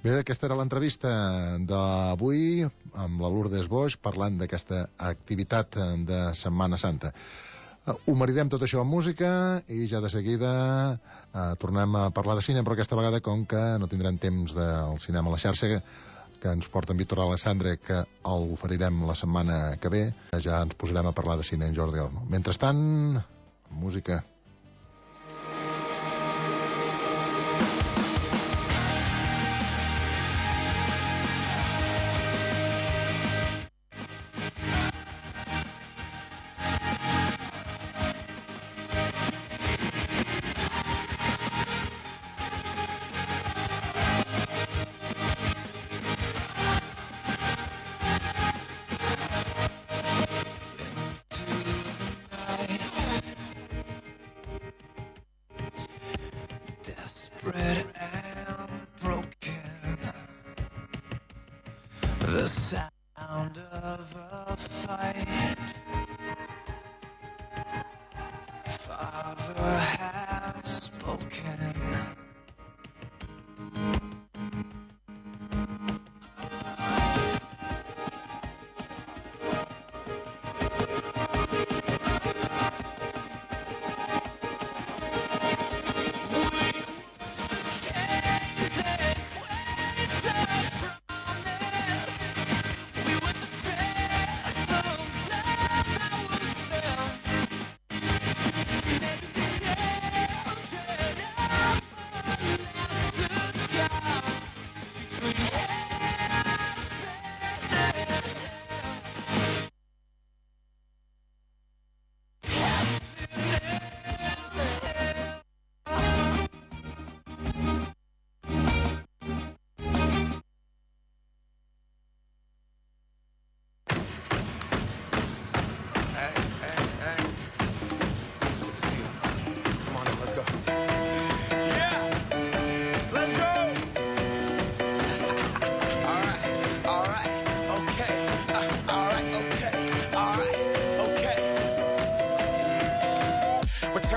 Bé, aquesta era l'entrevista d'avui amb la Lourdes Boix parlant d'aquesta activitat de Setmana Santa. Ho maridem tot això amb música i ja de seguida tornem a parlar de cinema, però aquesta vegada, com que no tindrem temps del cinema a la xarxa, que ens porta en Víctor Alessandre, que el oferirem la setmana que ve, ja ens posarem a parlar de cine en Jordi Alno. Mentrestant, música. Desperate and broken, the sound of a fight. Father has spoken.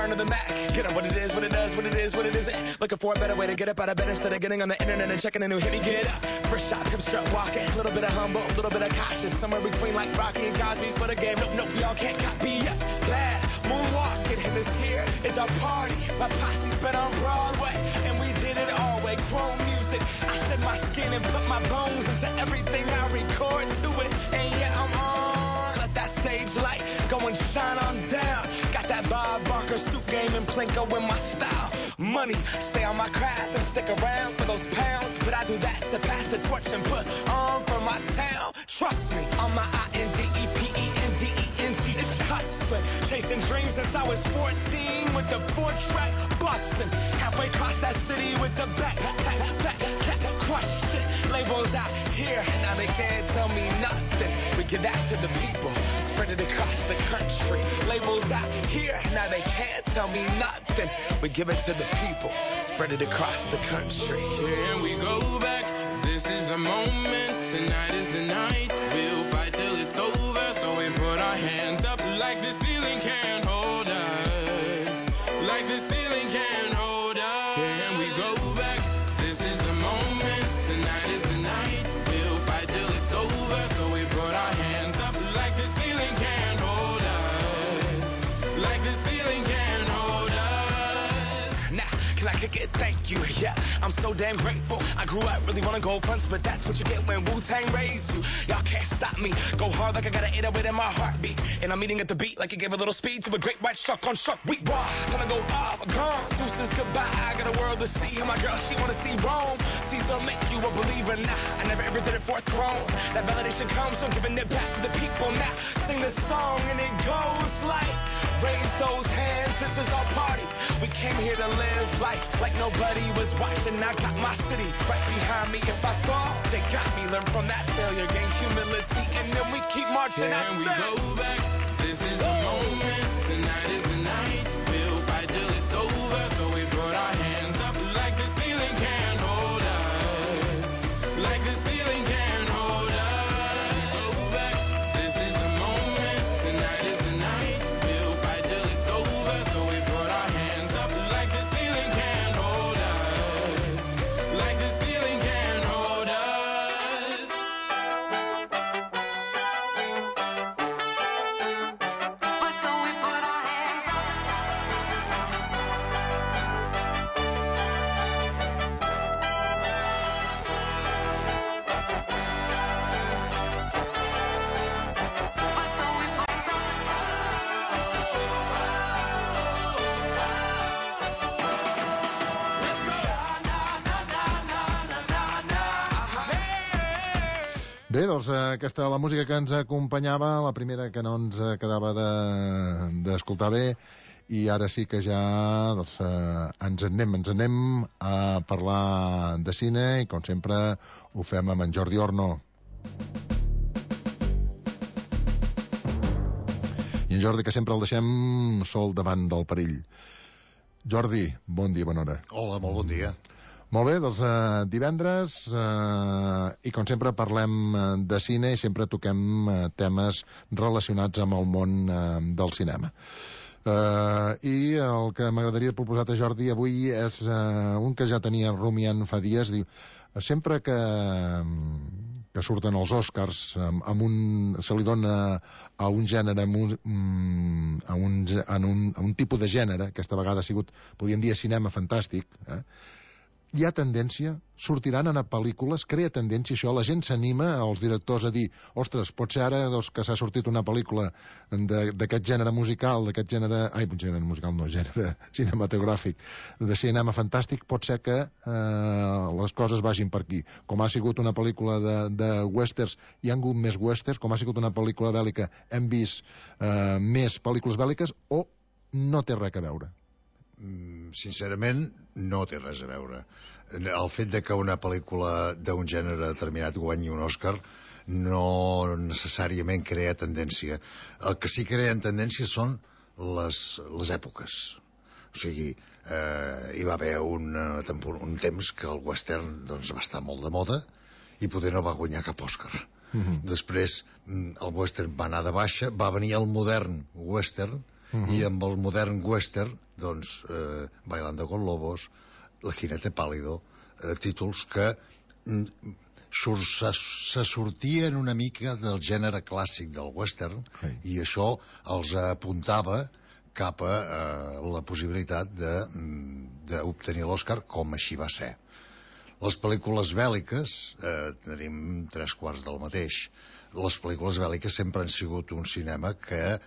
return of the Mac. Get up what it is, what it does, what it is, what it isn't. Looking for a better way to get up out of bed instead of getting on the internet and checking a new hit. Me get up, first shot, come strut walking. A little bit of humble, a little bit of cautious. Somewhere between like Rocky and Cosby's for the game. Nope, nope, y'all can't copy yet. Bad moonwalking, and this here is our party. My posse's been on Broadway, and we did it all way. Grown music, I shed my skin and put my bones into everything I record to it. And yeah, I'm on. Let that stage light go and shine on down. Got that Bob Barker suit game and Plinko in my style. Money, stay on my craft and stick around for those pounds. But I do that to pass the torch and put on for my town. Trust me, on my INDEPENDENT, it's hustling. Chasing dreams since I was 14 with the 4-track bustin'. Halfway across that city with the back crush shit. Labels out here, now they can't tell me nothing. We give that to the people, spread it across the country. Labels out here, now they can't tell me nothing. We give it to the people, spread it across the country. Here we go back, this is the moment, tonight is the night. We'll fight till it's over, so we put our hands up like the ceiling can't hold us. Like the ceiling can't hold us. Here we go back, this is the moment, tonight is the night. We'll fight till it's over, so we put our hands up like the ceiling can't hold us. Like the ceiling can't hold us. Now, can I kick it? Thank you, yeah, I'm so damn grateful. I grew up really wanna go fronts, but that's what you get when Wu-Tang raised you. Y'all can't stop me, go hard like I got an 808 in my heartbeat. And I'm eating at the beat like it gave a little speed to a great white shark on Shark Week. Raw, time to go off, gone, deuces goodbye. I got a world to see, and my girl, she wanna see Rome. Caesar make you a believer, nah, I never ever did it for a throne. That validation comes from giving it back to the people. Now, sing this song and it goes like, raise those hands, this is our party. We came here to live life like nobody was watching. I got my city right behind me. If I fall, they got me. Learn from that failure, gain humility, and then we keep marching. And we go back, this is the moment, tonight is the night. We'll fight till it's over, so we put our hands up like the ceiling can't hold us. Like the ceiling can't hold us. We go back, this is the moment, tonight is the night. We'll fight till it's over, so we put our hands up like the ceiling can't hold us. Like the ceiling can't hold us. So we put our hands up. Bé, doncs aquesta la música que ens acompanyava, la primera que no ens quedava d'escoltar bé, i ara sí que ja doncs, ens anem a parlar de cine, i com sempre ho fem amb en Jordi Orno. I en Jordi, que sempre el deixem sol davant del perill. Jordi, bon dia, bona hora. Hola, molt bon dia. Molt bé, doncs divendres, i com sempre parlem de cine i sempre toquem temes relacionats amb el món del cinema. I el que m'agradaria proposar a Jordi avui és un que ja tenia rumiant fa dies. Diu, sempre que surten els Oscars se li dona a un gènere, a un tipus de gènere, aquesta vegada ha sigut, podríem dir, cinema fantàstic, hi ha tendència, sortiran a pel·lícules, crea tendència això, la gent s'anima, els directors, a dir, ostres, pot ser ara que s'ha sortit una pel·lícula d'aquest gènere musical, gènere musical no, gènere cinematogràfic, de cinema fantàstic, pot ser que les coses vagin per aquí. Com ha sigut una pel·lícula de westerns, hi ha hagut més westerns, com ha sigut una pel·lícula bèl·lica, hem vist més pel·lícules bèl·liques, o no té res a veure? Sincerament, no té res a veure. El fet de que una pel·lícula d'un gènere determinat guanyi un Òscar no necessàriament crea tendència. El que sí crea tendència són les èpoques. O sigui, hi va haver un temps que el western doncs, va estar molt de moda i poder no va guanyar cap Òscar. Després el western va anar de baixa, va venir el modern western, i amb el modern western, doncs, Bailando con Lobos, El jinete pálido, títols que se sortien una mica del gènere clàssic del western, i això els apuntava cap a la possibilitat d'obtenir l'Oscar, com així va ser. Les pel·lícules bèl·liques, tenim 3/4 del mateix. Les pel·lícules bèl·liques sempre han sigut un cinema que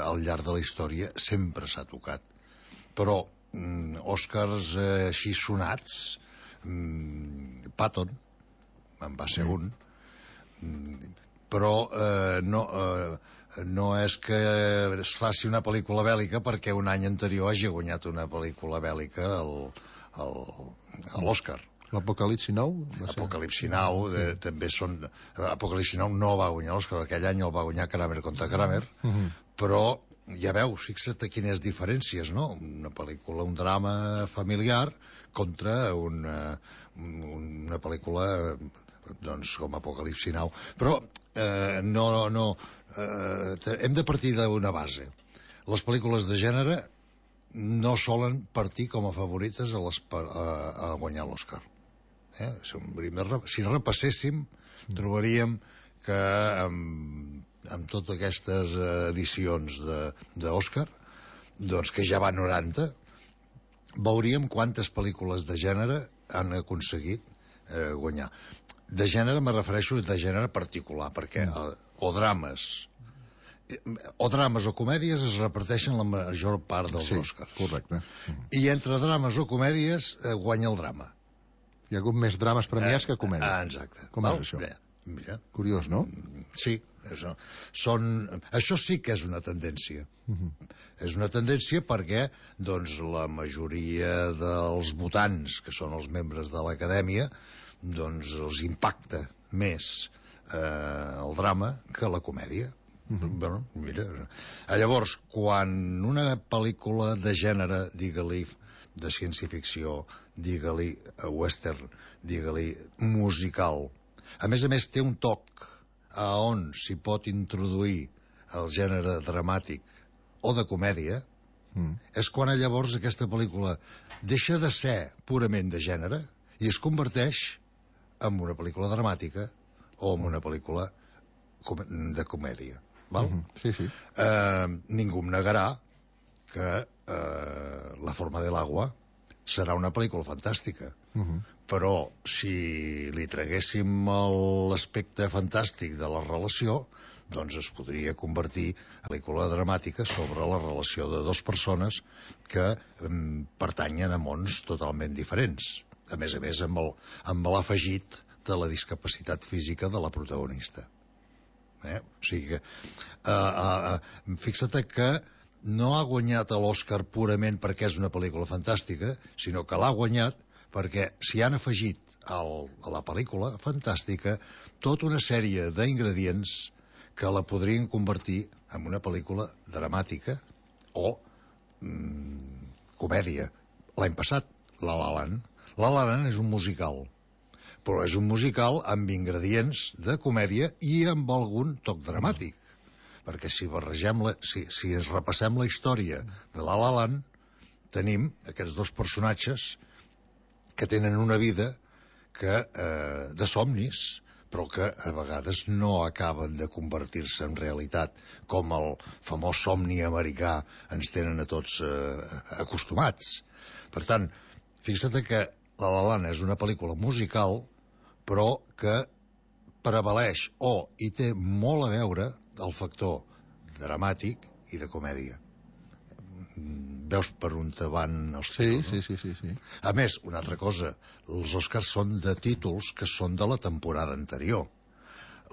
al llarg de la història sempre s'ha tocat. Però Oscars així sonats, Patton en va ser un, però no és que es faci una pel·lícula bèl·lica perquè un any anterior hagi guanyat una pel·lícula bèl·lica a l'Oscar. L'Apocalipsi Now? Apocalipsi Now, també són... Apocalipsi Now no va guanyar l'Oscar, aquell any el va guanyar Kramer contra Kramer, però ja veus, fixa't a quines diferències, no? Una pel·lícula, un drama familiar contra una pel·lícula doncs com Apocalipsi Now. Però hem de partir d'una base. Les pel·lícules de gènere no solen partir com a favorites a guanyar l'Oscar. Si repasséssim, trobaríem que amb totes aquestes edicions d'Oscar, doncs que ja va 90, veuríem quantes pel·lícules de gènere han aconseguit guanyar. De gènere me refereixo de gènere particular, perquè o drames o comèdies es reparteixen la major part dels Oscars. Correcte. I entre drames o comèdies guanya el drama. Hi ha hagut més drames premiats que comèdies. Exacte. Com és això? Mira. Curiós, no? Sí. Això sí que és una tendència. És una tendència perquè doncs, la majoria dels votants, que són els membres de l'acadèmia, doncs els impacta més el drama que la comèdia. Bueno, mira. Llavors, quan una pel·lícula de gènere, digue-li de ciència-ficció, digue-li western, digue-li musical, a més té un toc a on s'hi pot introduir el gènere dramàtic o de comèdia, és quan llavors aquesta pel·lícula deixa de ser purament de gènere i es converteix en una pel·lícula dramàtica o en una pel·lícula de comèdia. Val? Sí, sí. Ningú em negarà que La forma del agua serà una pel·lícula fantàstica, però si li traguéssim l'aspecte fantàstic de la relació, doncs es podria convertir en pel·lícula dramàtica sobre la relació de dues persones que pertanyen a mons totalment diferents, a més amb l'afegit de la discapacitat física de la protagonista. O sigui que fixa't que no ha guanyat l'Oscar purament perquè és una pel·lícula fantàstica, sinó que l'ha guanyat perquè s'hi han afegit a la pel·lícula fantàstica tota una sèrie d'ingredients que la podrien convertir en una pel·lícula dramàtica o comèdia. L'any passat, La La Land. La La Land és un musical, però és un musical amb ingredients de comèdia i amb algun toc dramàtic. Perquè si ens repassem la història de La La Land, tenim aquests dos personatges que tenen una vida de somnis, però que a vegades no acaben de convertir-se en realitat, com el famós somni americà ens tenen a tots acostumats. Per tant, fixa't que La La Land és una pel·lícula musical, però que prevaleix hi té molt a veure el factor dramàtic i de comèdia. Veus per on te van els títols? Sí. A més, una altra cosa, els Oscars són de títols que són de la temporada anterior.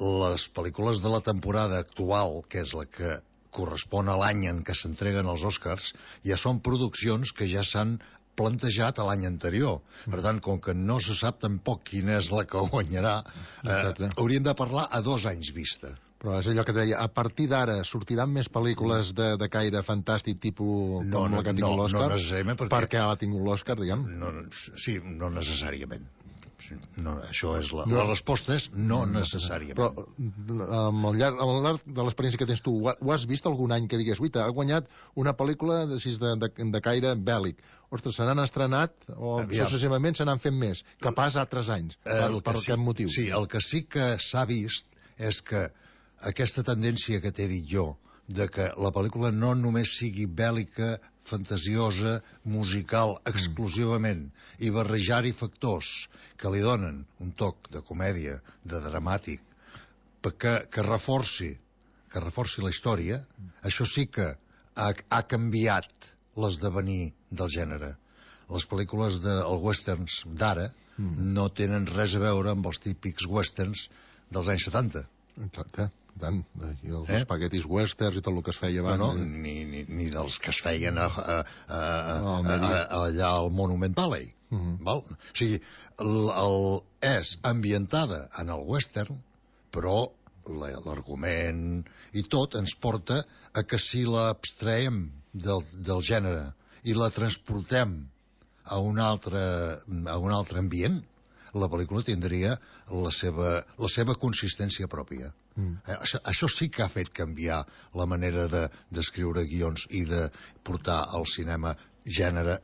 Les pel·lícules de la temporada actual, que és la que correspon a l'any en què s'entreguen els Oscars, ja són produccions que ja s'han plantejat a l'any anterior. Per tant, com que no se sap tampoc quina és la que guanyarà, hauríem de parlar a 2 anys vista. Però és allò que deia, a partir d'ara sortiran més pel·lícules de caire fantàstic tipus com la que ha tingut l'Oscar? No necessàriament, perquè l'ha tingut l'Oscar, diguem? Sí, no necessàriament. No, això és la resposta és no necessàriament. Però al llarg de l'experiència que tens tu, ho has vist algun any que digues, uita, ha guanyat una pel·lícula de caire bèl·lic? Ostres, se n'han estrenat o successivament se n'han fet més, que pas altres anys, per aquest motiu? Sí, el que sí que s'ha vist és que aquesta tendència que t'he dit jo, de que la pel·lícula no només sigui bèl·lica, fantasiosa, musical, exclusivament, i barrejar-hi factors que li donen un toc de comèdia, de dramàtic, que reforci la història, això sí que ha canviat l'esdevenir del gènere. Les pel·lícules dels westerns d'ara no tenen res a veure amb els típics westerns dels anys 70. Exacte. Tant, i els espaguetis westerns i tot el que es feia abans. Ni dels que es feien allà al Monument Valley. Val? O sigui, és ambientada en el western, però l'argument i tot ens porta a que si l'abstraiem del gènere i la transportem a un altre ambient, la pel·lícula tindria la seva consistència pròpia. Això sí que ha fet canviar la manera d'escriure guions i de portar al cinema gènere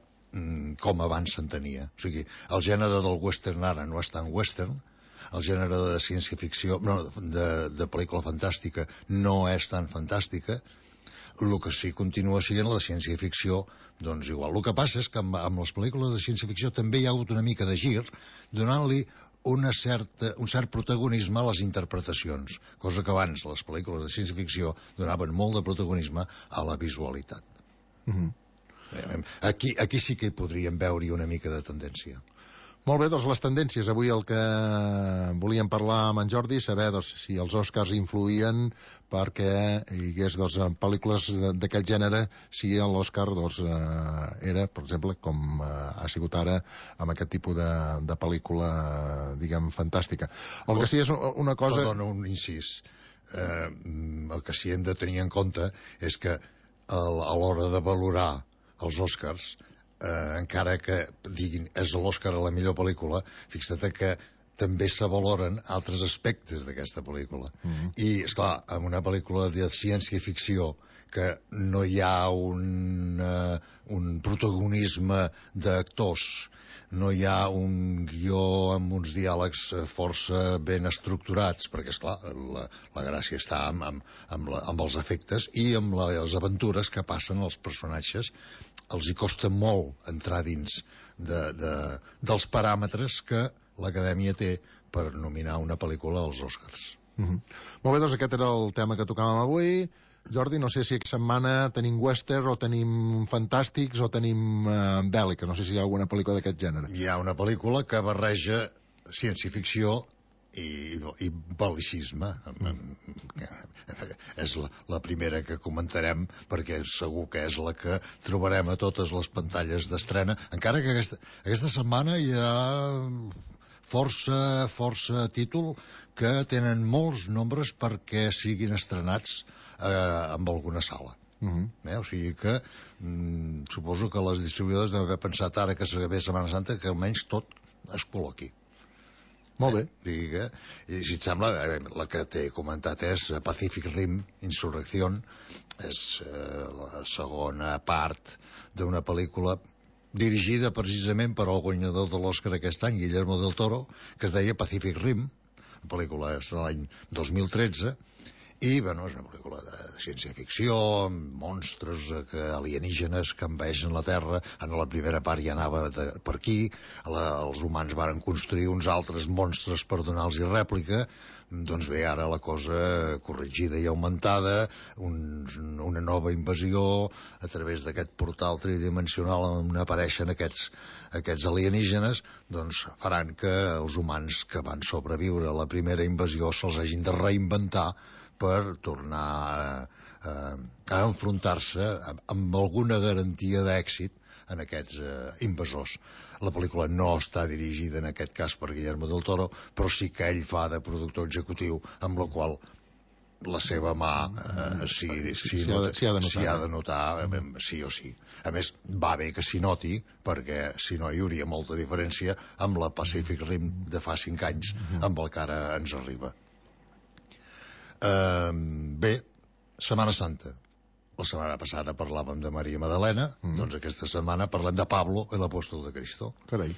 com abans s'entenia. O sigui, el gènere del western ara no és tan western, el gènere de ciència-ficció, de pel·lícula fantàstica, no és tan fantàstica. El que sí continua sent la ciència-ficció, doncs igual. El que passa és que amb les pel·lícules de ciència-ficció també hi ha hagut una mica de gir, donant-li un cert protagonisme a les interpretacions, cosa que abans les pel·lícules de ciència-ficció donaven molt de protagonisme a la visualitat. Aquí sí que hi podríem veure una mica de tendència. Molt bé, doncs les tendències. Avui el que volíem parlar amb en Jordi, saber si els Oscars influïen perquè hi hagués pel·lícules d'aquest gènere, si l'Oscar era, per exemple, com ha sigut ara, amb aquest tipus de pel·lícula, diguem, fantàstica. El que sí és una cosa... Perdona, un incís. El que sí hem de tenir en compte és que a l'hora de valorar els Oscars, encara que diguin és l'Oscar a la millor pel·lícula, fixa't que també se valoren altres aspectes d'aquesta pel·lícula. I, esclar, en una pel·lícula de ciència-ficció que no hi ha un protagonisme d'actors, no hi ha un guió amb uns diàlegs força ben estructurats, perquè, esclar, la gràcia està amb els efectes i amb les aventures que passen als personatges. Els hi costa molt entrar dins dels paràmetres que l'Acadèmia té per nominar una pel·lícula als Oscars. Molt bé, doncs aquest era el tema que tocàvem avui. Jordi, no sé si aquesta setmana tenim western o tenim fantàstics o tenim bèl·lica, no sé si hi ha alguna pel·lícula d'aquest gènere. Hi ha una pel·lícula que barreja ciència-ficció i bel·licisme. És la primera que comentarem, perquè segur que és la que trobarem a totes les pantalles d'estrena, encara que aquesta setmana hi ha força títol que tenen molts nombres perquè siguin estrenats amb alguna sala. O sigui que suposo que les distribuïdores deuen haver pensat ara que ve Setmana Santa que almenys tot es col·loqui. Molt bé. I si et sembla, la que t'he comentat és Pacific Rim, Insurrección, és la segona part d'una pel·lícula dirigida precisament per al guanyador de l'Oscar aquest any, Guillermo del Toro, que es deia Pacific Rim. La pel·lícula és de l'any 2013, i és una pel·lícula de ciència-ficció, monstres alienígenes que envaeixen la Terra. En la primera part ja anava per aquí, els humans varen construir uns altres monstres per donar-los rèplica. Doncs bé, ara la cosa corregida i augmentada, una nova invasió a través d'aquest portal tridimensional on apareixen aquests alienígenes, doncs faran que els humans que van sobreviure a la primera invasió se'ls hagin de reinventar per tornar a enfrontar-se amb alguna garantia d'èxit en aquests invasors. La pel·lícula no està dirigida en aquest cas per Guillermo del Toro, però sí que ell fa de productor executiu, amb la qual la seva mà si ha de notar, sí o sí. A més, va bé que s'hi noti, perquè si no hi hauria molta diferència amb la Pacific Rim de fa 5 anys, amb el que ara ens arriba. Bé, Setmana Santa. La setmana passada parlàvem de Maria Magdalena, doncs aquesta setmana parlem de Pablo, l'apòstol de Cristo. Carai.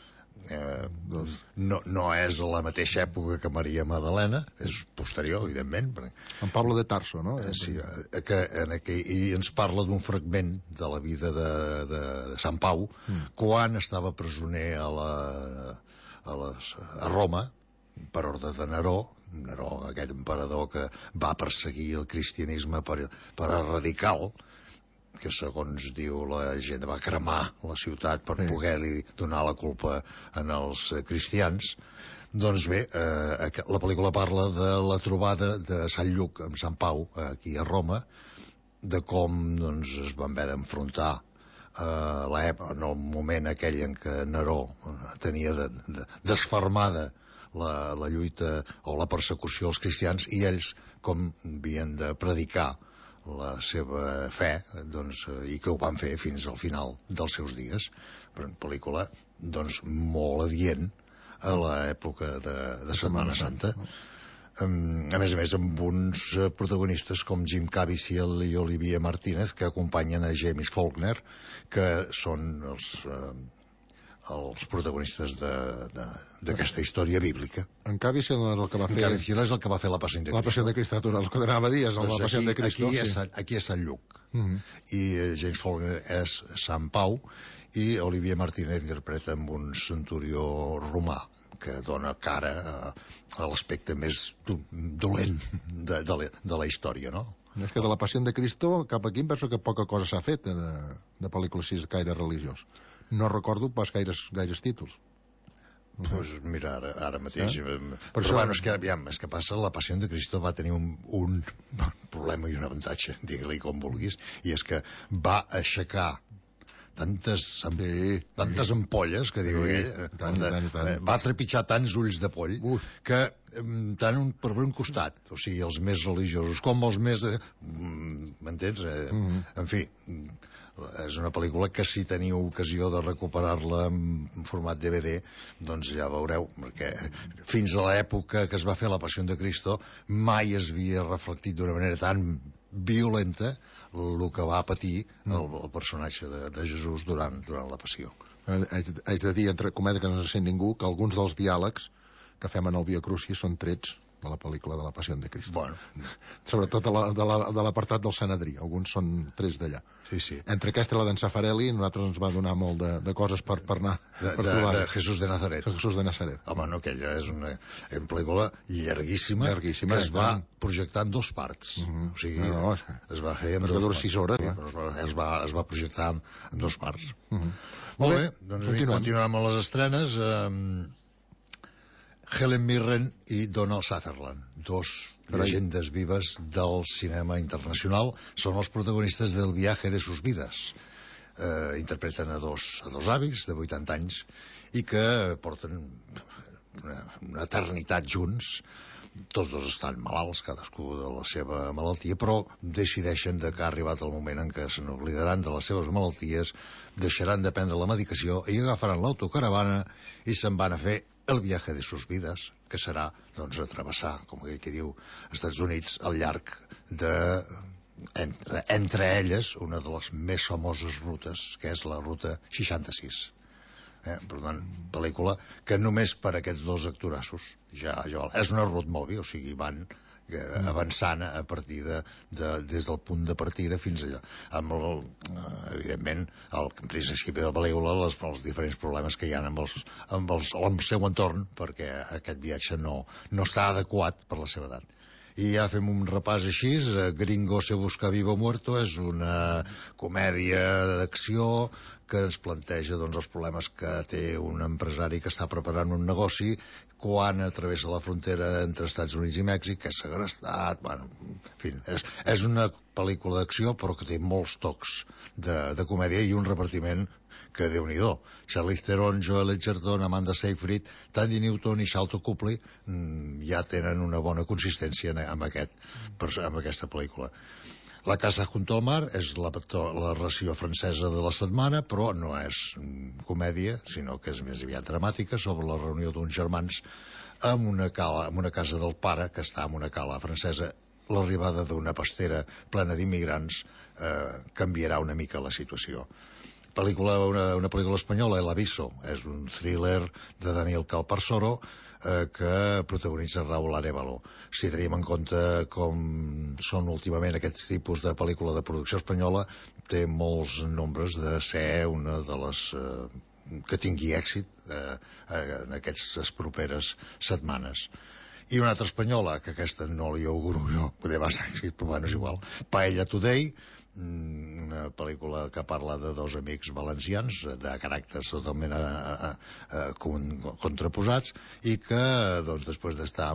No és a la mateixa època que Maria Magdalena, és posterior, evidentment. En Pablo de Tarso, no? Sí, i ens parla d'un fragment de la vida de Sant Pau, quan estava presoner a Roma, per ordre de Neró, aquest emperador que va perseguir el cristianisme per radical, que segons diu la gent va cremar la ciutat per poder-li donar la culpa als cristians. Doncs bé, la pel·lícula parla de la trobada de Sant Lluc amb Sant Pau aquí a Roma, de com es van haver d'enfrontar en el moment aquell en què Neró tenia desfermada la lluita o la persecució als cristians, i ells com havien de predicar la seva fe, i que ho van fer fins al final dels seus dies. Però una pel·lícula molt adient a l'època de Setmana Santa. A més, amb uns protagonistes com Jim Caviezel i Olivia Martínez, que acompanyen a James Faulkner, que són els protagonistes d'aquesta història bíblica. En Caviezel és el que va fer... Caviezel és el que va fer la Passió de Cristo. La Passió de Cristo, el que anava a dir, és la Passió de Cristo. Aquí és Sant Lluc. I James Faulkner és Sant Pau, i Olivia Martínez interpreta amb un centurió romà, que dona cara a l'aspecte més dolent de la història, no? És que de la Passió de Cristo cap aquí em penso que poca cosa s'ha fet de pel·lícules així gaire religiós. No recordo pas gaires títols. Doncs mira, ara mateix... Però bueno, és que passa, la Passió de Cristo va tenir un problema i un avantatge, digue-li com vulguis, i és que va aixecar tantes ampolles, que diu ell, va trepitjar tants ulls de poll, que tant per un costat, o sigui, els més religiosos com els més... M'entens? En fi, és una pel·lícula que si teniu ocasió de recuperar-la en format DVD, doncs ja veureu, perquè fins a l'època que es va fer la Passió de Cristo mai es havia reflectit d'una manera tan violenta el que va patir el personatge de Jesús durant la Passió. Haig de dir, entre comèdia que no se sent ningú, que alguns dels diàlegs que fem en el Via Crucis són trets de la pel·lícula de la Passió de Cristo. Bueno. Sobretot de l'apartat del Sanedrí. Alguns són trets d'allà. Sí. Entre aquesta i la d'en Safarelli, nosaltres ens va donar molt de coses per anar... De Jesús de Nazaret. Jesús de Nazaret. Home, no, aquella és una pel·lícula llarguíssima, que es va projectar en 2 parts. O sigui, es va fer en 2 parts. 6 hores. Es va projectar en 2 parts. Molt bé, doncs continuem amb les estrenes. Helen Mirren i Donald Sutherland, 2 llegendes vives del cinema internacional, són els protagonistes del Viaje de sus vidas. Interpreten a dos avis de 80 anys i que porten una eternitat junts. Tots 2 estan malalts, cadascú de la seva malaltia, però decideixen que ha arribat el moment en què se n'oblidaran de les seves malalties, deixaran de prendre la medicació i agafaran l'autocaravana i se'n van a fer el viaje de sus vidas, que serà, doncs, a travessar, com aquell que diu, Estats Units al llarg de, entre elles, una de les més famoses rutes, que és la ruta 66. Per tant, pel·lícula que només per aquests 2 actorassos ja és una road movie, o sigui, van avançant a partir des del punt de partida fins allà, amb evidentment al principi de la pel·lícula els diferents problemes que hi ha amb el seu entorn, perquè aquest viatge no està adequat per la seva edat. I ja fem un repàs així. Gringo se busca vivo o muerto és una comèdia d'acció que ens planteja doncs, els problemes que té un empresari que està preparant un negoci quan travessa la frontera entre Estats Units i Mèxic, que és segrestat, bueno, en fi, és una pel·lícula d'acció però que té molts tocs de comèdia i un repartiment que Déu-n'hi-do. Charlize Theron, Joel Edgerton, Amanda Seyfried, Tandy Newton i Sharlto Copley ja tenen una bona consistència amb aquesta pel·lícula. La casa junto al mar és la ració francesa de la setmana, però no és comèdia, sinó que és més aviat dramàtica, sobre la reunió d'uns germans en una casa del pare, que està en una cala francesa. L'arribada d'una pastera plena d'immigrants canviarà una mica la situació. Una pel·lícula espanyola, El Aviso, és un thriller de Daniel Calparsoro que protagonitza Raúl Arévalo. Si tenim en compte com són últimament aquests tipus de pel·lícula de producció espanyola, té molts nombres de ser una de les que tingui èxit en aquestes properes setmanes. I una altra espanyola, que aquesta no li auguro jo, poder va ser èxit, però bueno, és igual. Paella Today, una pel·lícula que parla de dos amics valencians de caràcters totalment contraposats i que, doncs, després d'estar